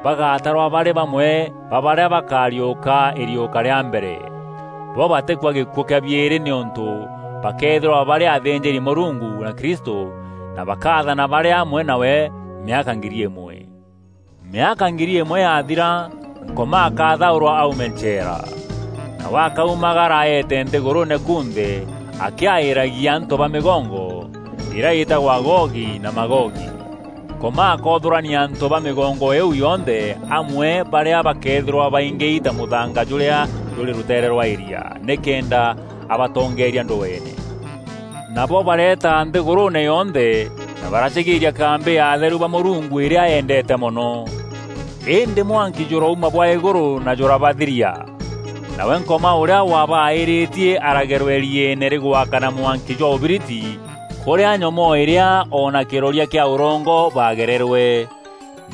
bagatarwa barî bamwe ba barîa bakariûka îriûka rîa mbere. Bo batîkua gîkuû kîa biîrî nîûntû bakeethîrwa barî athînjîri-Mûrungu na Kristû, na bakaathana barî amwe nawe mîaka ngiri îmwe. Mîaka ngiri îmwe yathira, Nkoma akathaûrwa aume ncheera. Nawe akaumagara eete nthîgûrûûne kunthe, akîaîragia antû ba mîgongo, îrîa îtagwa Gogi na Magogi. Nkoma akoothûrania antû ba mîgongo îîu yonthe amwe barîa bakeethîrwa baingîi ta mûthanga jûrîa jûrî rûteere rwa îria, nîkenda abatongeeria ndweene. Nabo bareeta nthîgûrûûne yonthe, na baracigîîria kambî ya atheru ba Mûrungu îrîa eendeete mono. Îndî mwanki jûrauma bwa îgûrû na jûrabathiria. Nawe Nkoma ûrîa wabaîrîtie aragerwa îrieene rîgwakana mwanki jwa ûbiriti, kûrîa nyomoo îrîa o na kîroria kîa ûrongo bagererwe.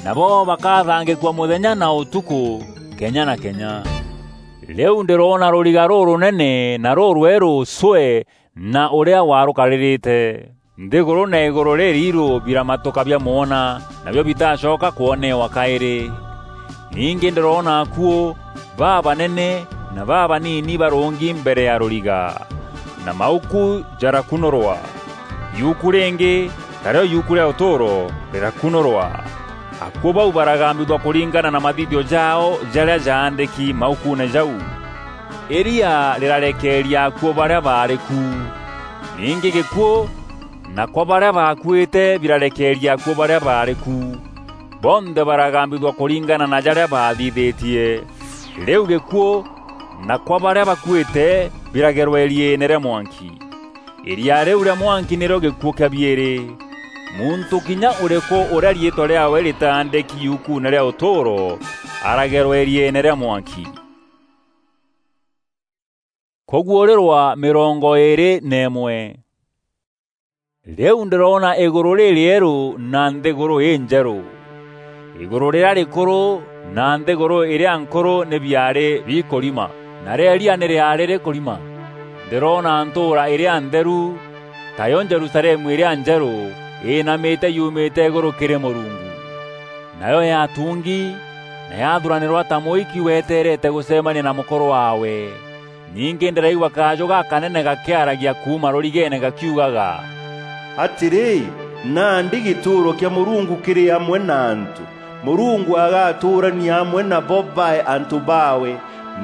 Nabo bakathangîkua mûthenya na ûtukû, kenya na kenya. Rîu ndîroona rûriga rûrûnene na rûrwerû cwee na ûrîa warûkarîrîte. Nthîgûrû na îgûrû rîriirû biramatûka biamwona, nabio bitacoka kwonewa kaîrî. Ningî ndîroona akuû babanene na babanini barûngi mbere ya rûriga, na mauku jarakunûrwa. Yuku rîngî, tarîo yuku rîa ûtûûro, rîrakunûrwa. Akuû bau baragambithua kûringana na mathithio jaao jarîa jaandîki maukuune jau. Îria rîrarekeeria akuû barîa baarî ku. Ningî gîkuû na kwa barîa baakuîte birarekeeria akuû barîa baarî ku. Bonthe baragambithua kûringana na jarîa baathithîtie. Rîu gîkuû na kwa barîa bakuîte biragerwa îrieene rîa mwanki. Îria rîu rîa mwanki nîrîo gîkuû kîa biîrî. Muntû kinya ûrîkû ûrîa riîtwa rîaawe rîtaandîki yukuune rîa ûtûûro aragerwa îrieene rîa mwanki. Kûguûrîrwa mîrongo îîrî na îmwe. Rîu ndîroona îgûrû rîrîerû na nthîgûrû înjerû. Îgûrû rîrîa rîkûrû na nthîgûrû îrîa nkûrû nî biaarî bikûrima, na rîeria nî rîaarî rîkûrima. Ndîroona ntûûra îrîa ntheru, tayo Jerusalemu îrîa njerû, îînamîte yumîte îgûrû kîrî Mûrungu. Nayo yatungi na yathuranîrwa ta mûiki weteerete gûcemania na mûkûrû waawe. Ningî ndîraigua kajû gakanene gakîaragia kuuma rûrigeene gakiugaga, "Atîrî, nandî gîtûûro kîa Mûrungu kîrî amwe na antû. Mûrungu agatûûrania amwe nabo bae antû baawe,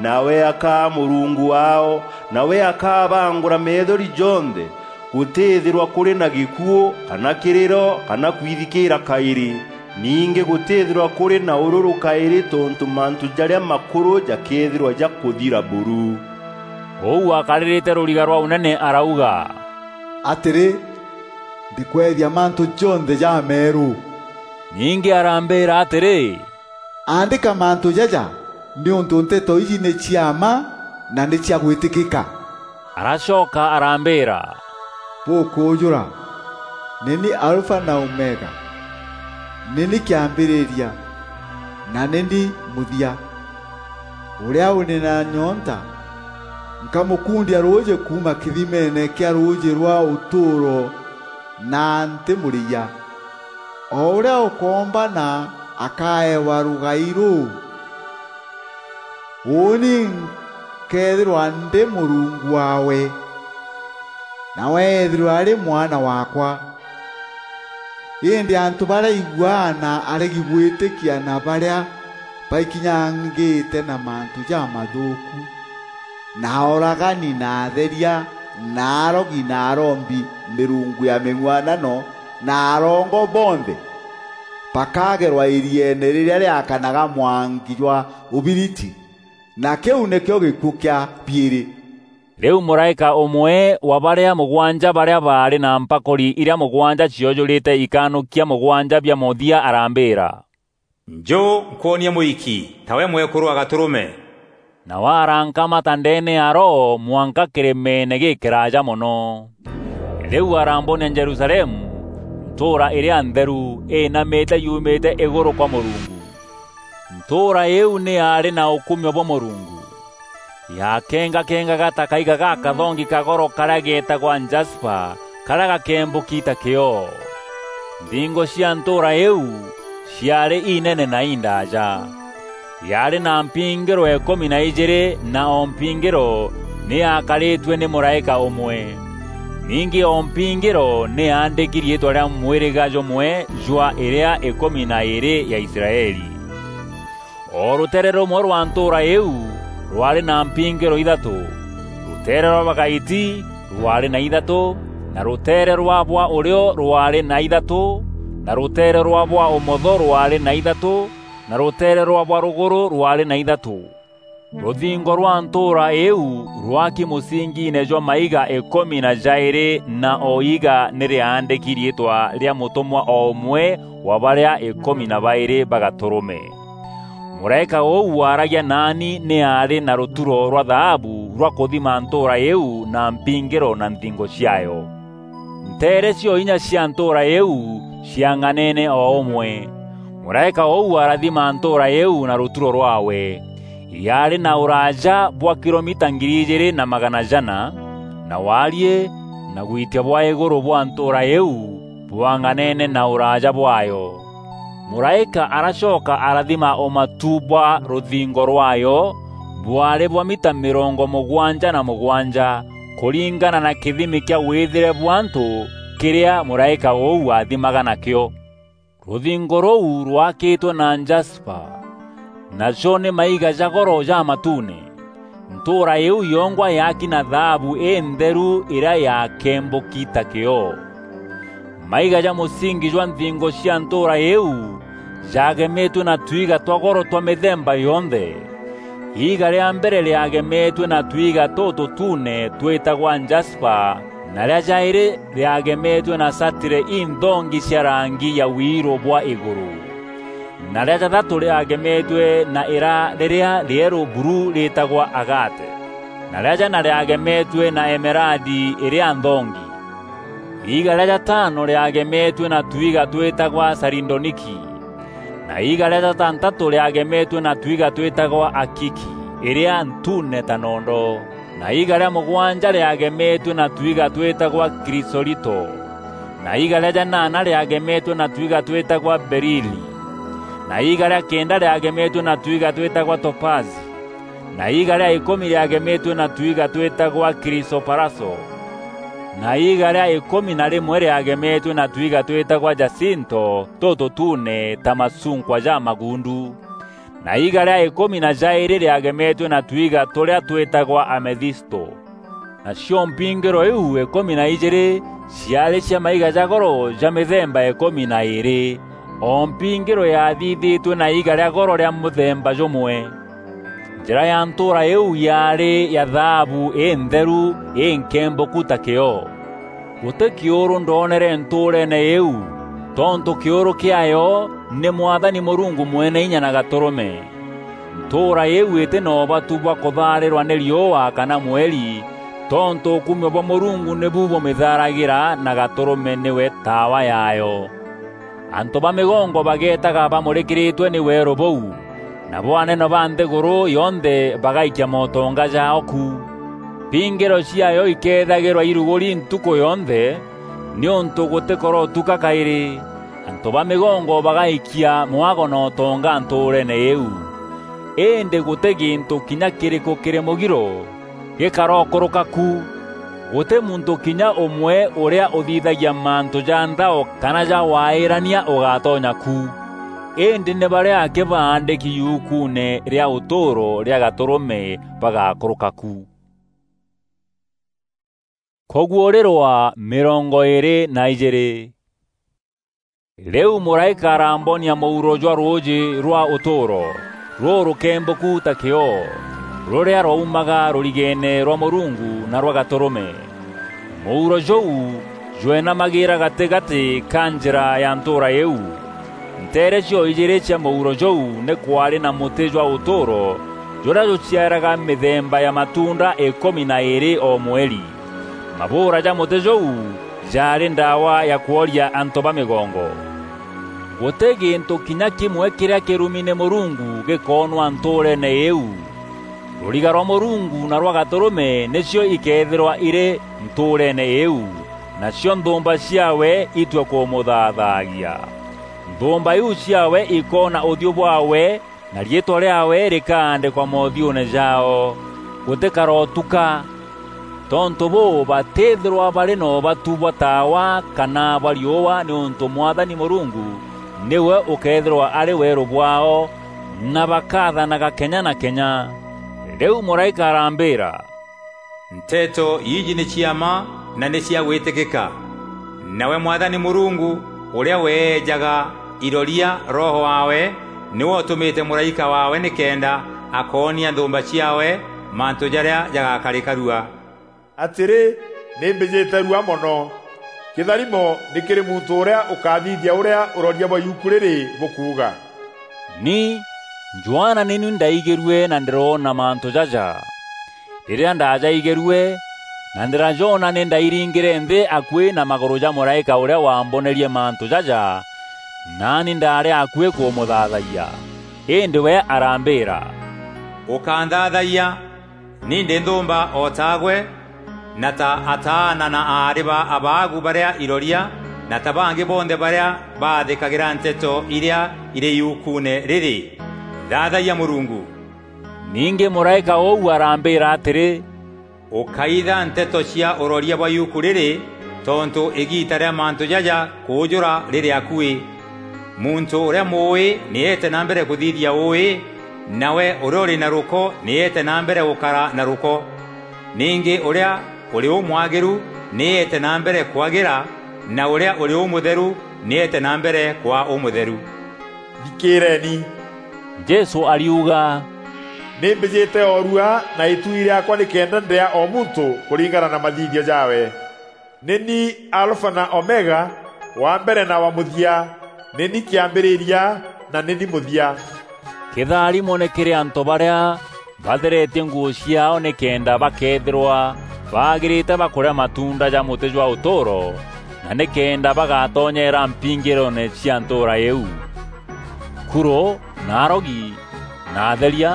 nawe akaa Mûrungu waao, nawe akabangûra meethori jonthe. Gûtîîthîrwa kûrî na gîkuû, kana kîrîro, kana kwithikîîra kaîrî. Ningî gûtîîthîrwa kûrî na ûrûrû kaîrî tontû mantû jarîa makûrû jakeethîrwa jakûthira buru." Ûu akarîrîte rûriga rwa ûnene arauga, "Atîrî, ndîkweethia mantû jonthe jameerû." Ningî arambîîra atîrî, "Aandîka mantû jaja, nîûntû nteto iji nî cia mma na nî cia gwîtîkîka." Aracoka arambîîra, "Bûkûûjûra." "Nî ni Alfa na Omega, nî ni kîambîrîria, na nî ni mûthia. Ûrîa ûrî na nyonta, nkamûkundia rûûjî kuuma kîthimeene kîa rûûjî rwa ûtûûro, na ntîmûrîyia. O ûrîa ûkoomba na akaewa rûgai rûû. Ûûni nkeethîrwa ndî Mûrungu waawe, nawe eethîrwe arî mwana waakwa." Îndî antû barîa aiguaa na aregi gwîtîkia na barîa baikinyangîte na mantû jamathûûku, na aûragani, na atheria, na arogi, na arombi mîrungu ya mîng'uanano, na arongo bonthe, bakagerwa îrieene rîrîa rîakanaga mwanki jwa ûbiriti, na kîu nîkîo gîkuû kîa biîrî. Rîu mûraîka ûmwe wa barîa mûgwanja barîa baarî na mpakûri irîa mûgwanja ciojûrîte ikanûkia mûgwanja bia mûthia arambîîra, "Njû, nkwonie mûiki, tawe mwekûrû wa gatûrûme." Nawe arankamata ndeene ya Roho mwanka kîrîmeene gîkîraaja mono. Rîu arambonia Jerusalemu, ntûûra îrîa ntheru, îinamîte yumîte îgûrû kwa Mûrungu, ntûûra îîu nî yaarî na ûkumio bwa Mûrungu. Yakengakengaga ta kaiga gakathongi ka goro karîa geetagwa jaspa, karîa gakembûki ta kîoo. Nthingo cia ntûûra îîu ciaarî inene na indaaja. Yaarî na mpingîro îkûmi na ijîîrî, na o mpingîro nî yaakarîtue nî mûraîka ûmwe. Ningî o mpingîro nî yaandîki riîtwa rîa mwîrîga jûmwe jwa îrîa îkûmi na îîrî ya Israeli. O rûteere rûmwe rwa ntûûra îîu rwaarî na mpingîro ithatû. Rûteere rwa bagaiti rwaarî na ithatû, na rûteere rwa bwa ûrîo rwaarî na ithatû, na rûteere rwa bwa ûmotho rwaarî na ithatû, na rûteere rwa bwa rûgûrû rwaarî na ithatû. Rûthingo rwa ntûûra îîu rwaaki mûsingiine jwa maiga îkûmi na jaîrî, na o iiga nî rîaandîki riîtwa rîa mûtûmwa o ûmwe wa barîa îkûmi na baîrî ba gatûrûme. Mûraîka ûu waaragia naani nî aarî na rûturo rwa thaabu rwa kûthima ntûûra îîu na mpingîro na nthingo ciaayo. Nteere cio inya cia ntûûra îîu ciang'aneene o ûmwe. Mûraîka ûu arathima ntûûra îîu na rûturo rwaawe. Yaarî na ûraaja bwa kilomita ngiri ijîîrî na magana jana, na waariî na gwitia bwa îgûrû bwa ntûûra îîu bwang'aneene na ûraaja bwaayo. Mûraîka aracoka arathima ûmatu bwa rûthingo rwaayo, bwaarî bwa mita mîrongo mûgwanja na mûgwanja, kûringana na kîthimi kîa wîthîre bwa antû kîrîa mûraîka ûu waathimaga nakîo. Rûthingo rûu rwakîtwe na jaspa, najo nî maiga ja goro ja matuune. Ntûûra îîu yongwa yaaki na thaabu întheru îrîa yaakembûki ta kîoo. Maiga ja mûsingi jwa nthingo cia ntûûra îîu jaagemetue na twiga twa goro twa mîthemba yonthe. Iiga rîa mbere rîagemetue na twiga tûtûtuune twîtagwa jaspa, na rîa jaîrî rîagemetue na satire inthongi cia rangi ya wiirû bwa îgûrû, na rîa jathatû rîagemetue na îra rîrîa rîerû buru rîtagwa agate, na rîa jana rîagemetue na emeradi îrîa nthongi. Iiga rîa jatano rîagemetue na twiga twîtagwa sarindoniki, na iiga rîa jatantatû rîagemetue na twiga twîtagwa akiki îrîa ntuune ta nondo, na iiga rîa mûgwanja rîagemetue na twiga twîtagwa krisolito, na iiga rîa janana rîagemetue na twiga twîtagwa berili, na iiga rîa kenda rîagemetue na twiga twîtagwa topazi, na iiga rîa îkûmi rîagemetue na twiga twîtagwa krisoparaso, na iiga rîa îkûmi na rîmwe rîagemetue na twiga twîtagwa jasinto tûtûtuune ta macunkwa ja magundu, na iiga rîa îkûmi na jaîrî rîagemetue na twiga tûrîa twîtagwa amethisto. Nacio mpingîro iu îkûmi na ijîîrî ciaarî cia maiga ja goro ja mîthemba îkûmi na îîrî, o mpingîro yaathithîtue na iiga rîa goro rîa mûthemba jûmwe. Njîra ya ntûûra îîu yaarî ya thaabu întheru înkembûku ta kîoo. Gûtî kîûrû ndoonere ntûûreene îîu, tontû kîûrû kîaayo nî Mwathani Mûrungu Mweneinya na Gatûrûme. Ntûûra îîu îtî na ûbatu bwa kûthaarîrwa nî riûa kana mweri, Tontû ûkumio bwa Mûrungu nîbu bûmîtharagira na Gatûrûme nîwe taawa yaayo. Antû ba mîgongo bageetaga bamûrîkîrîtwe nî weerû bûu, nabo anene ba nthîgûrû yonthe bagaikia motonga jaao ku. Mpingîro ciaayo ikeethagîrwa irugûri ntukû yonthe, nîûntû gûtîkoro tuka kaîrî. Antû ba mîgongo bagaikia mwago na ûtonga ntûûreene îîu. Îndî gûtî gîntû kinya kîrîkû kîrî mûgiro gîkarokûrûka ku. Gûtî muntû kinya ûmwe ûrîa ûthithagia mantû ja nthao kana ja waîrania ûgatonya ku. Îndî nî barîa akî baandîki yukuune rîa ûtûûro rîa Gatûrûme bagakûrûka ku. Kûguûrîrwa mîrongo îîrî na ijîîrî. Rîu mûraîka arambonia mûuro jwa rûûjî rwa ûtûûro, rûrûkembûku ta kîoo, rûrîa rwaumaga rûrigeene rwa Mûrungu na rwa Gatûrûme. Mûuro jûu jweenamagîîra gatîgatî ka njîra ya ntûûra îîu. Nteere cio ijîîrî cia mûuro jûu nî kwaarî na mûtî jwa ûtûûro, jûrîa jûciaraga mîthemba ya matuunda îkûmi na îîrî o mweri. Mabûûra ja mûtî jûu jaarî ndaawa ya kworia antû ba mîgongo. Gûtî gîntû kinya kîmwe kîrîa kîrumi nî Mûrungu gîkoonwa ntûûreene îîu. Rûriga rwa Mûrungu na rwa Gatûrûme nîcio ikeethîrwa irî ntûûreene îîu, nacio nthûûmba ciaawe itue kûmûthaathagia. Nthûûmba iu ciaawe ikoona ûthiû bwaawe, na riîtwa rîaawe rîkaandîkwa moothiûûne jaao. Gûtîkarotuka. Tontû bûû, batîîthîrwa barî na ûbatu bwa taawa kana bwa riûa, nîûntû Mwathani Mûrungu nîwe ûkeethîrwa arî weerû bwaao, na bakathanaga kenya na kenya. Rîu mûraîka arambîîra, "Nteto iji nî cia mma na nî cia gwîtîkîka. Nawe Mwathani Mûrungu, ûrîa weejaga iroria Roho waawe, nîwe ûtûmîte mûraîka waawe nîkenda akoonia nthûûmba ciaawe mantû jarîa jagakarîka rua." Atîrî, nî mbîjîte rua mono. Kîtharimo nî kîrî muntû ûrîa ûkathithia ûrîa ûroria bwa yuku rîrî bûkuuga. Ni, Johana, nî ni ndaigîrue na ndîroona mantû jaja. Rîrîa ndajaigîrue, na ndîrajoona, nî ndairingîre nthî akuî na magûrû ja mûraîka ûrîa waambonerie mantû jaja, naani ndaarî akuî kûmûthaathayia. Îndî we arambîîra, "Ûkanthaathagia, ni ndî nthûûmba o taagwe, na ta ataana na aarî ba abaagu barîa iroria, na ta bangî bonthe barîa baathîkagîra nteto irîa irî yukuune rîrî. Thaathagia Mûrungu." Ningî mûraîka ûu arambîîra atîrî, "Ûkaitha nteto cia ûroria bwa yuku rîrî, tontû îgiita rîa mantû jaja kûûjûra rîrî akuî. Muntû ûrîa mûûî nî eete na mbere kûthithia ûûî, nawe ûrîa ûrî na rûko nî eete na mbere gûkara na rûko. Ningî ûrîa ûrî ûmwagîru nî eete na mbere kwagîra, na ûrîa ûrî ûmûtheru nî eete na mbere kwaa ûmûtheru." Thikîîreeni! Jesû ariuga, "Nî mbîjîte o rua na îtuui rîaakwa nîkenda ndîaa o muntû kûringana na mathithio jaawe. Nî ni Alfa na Omega, wa mbere na wa mûthia, nî ni kîambîrîria na nî ni mûthia." Kîtharimo nî kîrî antû barîa batheretie nguû ciaao nîkenda bakeethîrwa baagîrîte bakûrîa matuunda ja mûtî jwa ûtûûro, na nîkenda bagatonyera mpingîroone cia ntûûra îîu. Kurû, na arogi, na atheria,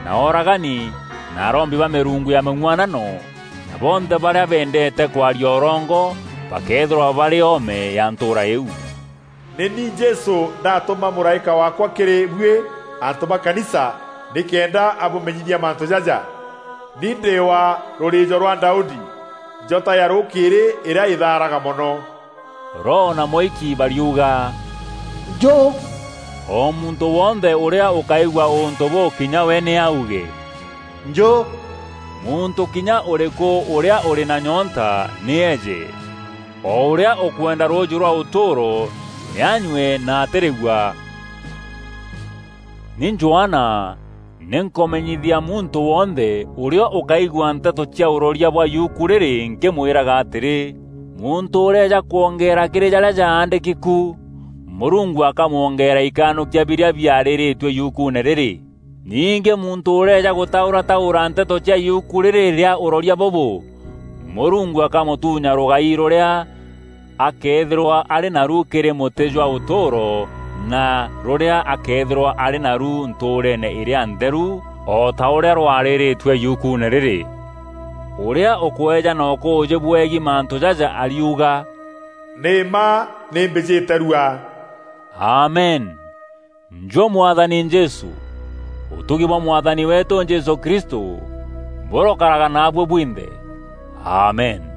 na ooragani, na arombi ba mîrungu ya mîng'uanano, na bonthe barîa bendeete kwaria ûrongo, bakeethîrwa barî oome ya ntûûra îîu. Nî ni Jesû ndatûma mûraîka waakwa kîrî buî antû ba kanisa, nîkenda abûmenyithia mantû jaja. Ni ndî wa rûrîîjo rwa Daudi, njota ya rûkîîrî îrîa îthaaraga mono. Roho na mûiki bariuga, "Njû!" O muntû wonthe ûrîa ûkaigua ûntû bûu kinya we nî auge, "Njû!" Muntû kinya ûrîkû ûrîa ûrî na nyonta nî eeje. O ûrîa ûkwenda rûûjî rwa ûtûûro nî anyue na atîrîgua. Ni Johana, nî nkûmenyithia muntû wonthe ûrîa ûkaigua nteto cia ûroria bwa yuku rîrî nkîmwîraga atîrî, muntû ûrîeja kwongeera kîrî jarîa jaandîki ku, Mûrungu akamwongeera ikanûkia birîa biarîrîtue yukuune rîrî. Ningî muntû ûrîeja gûtaûrataûra nteto cia yuku rîrî rîa ûroria bûbû, Mûrungu akamûtuunya rûgai rûrîa akeethîrwa arî naru kîrî mûtî jwa ûtûûro, na rûrîa akeethîrwa arî naru ntûûreene îrîa ntheru, o ta ûrîa rwarîrîtue yukuune rîrî. Ûrîa ûkweeja na ûkûûjî bweegî mantû jaja ariuga, "Nî mma nî mbîjîte rua." Amen. Njû Mwathani Jesû, ûtugi bwa Mwathani weetû Jesû Kristû bûrokaraga naabuî bwinthe. Amen.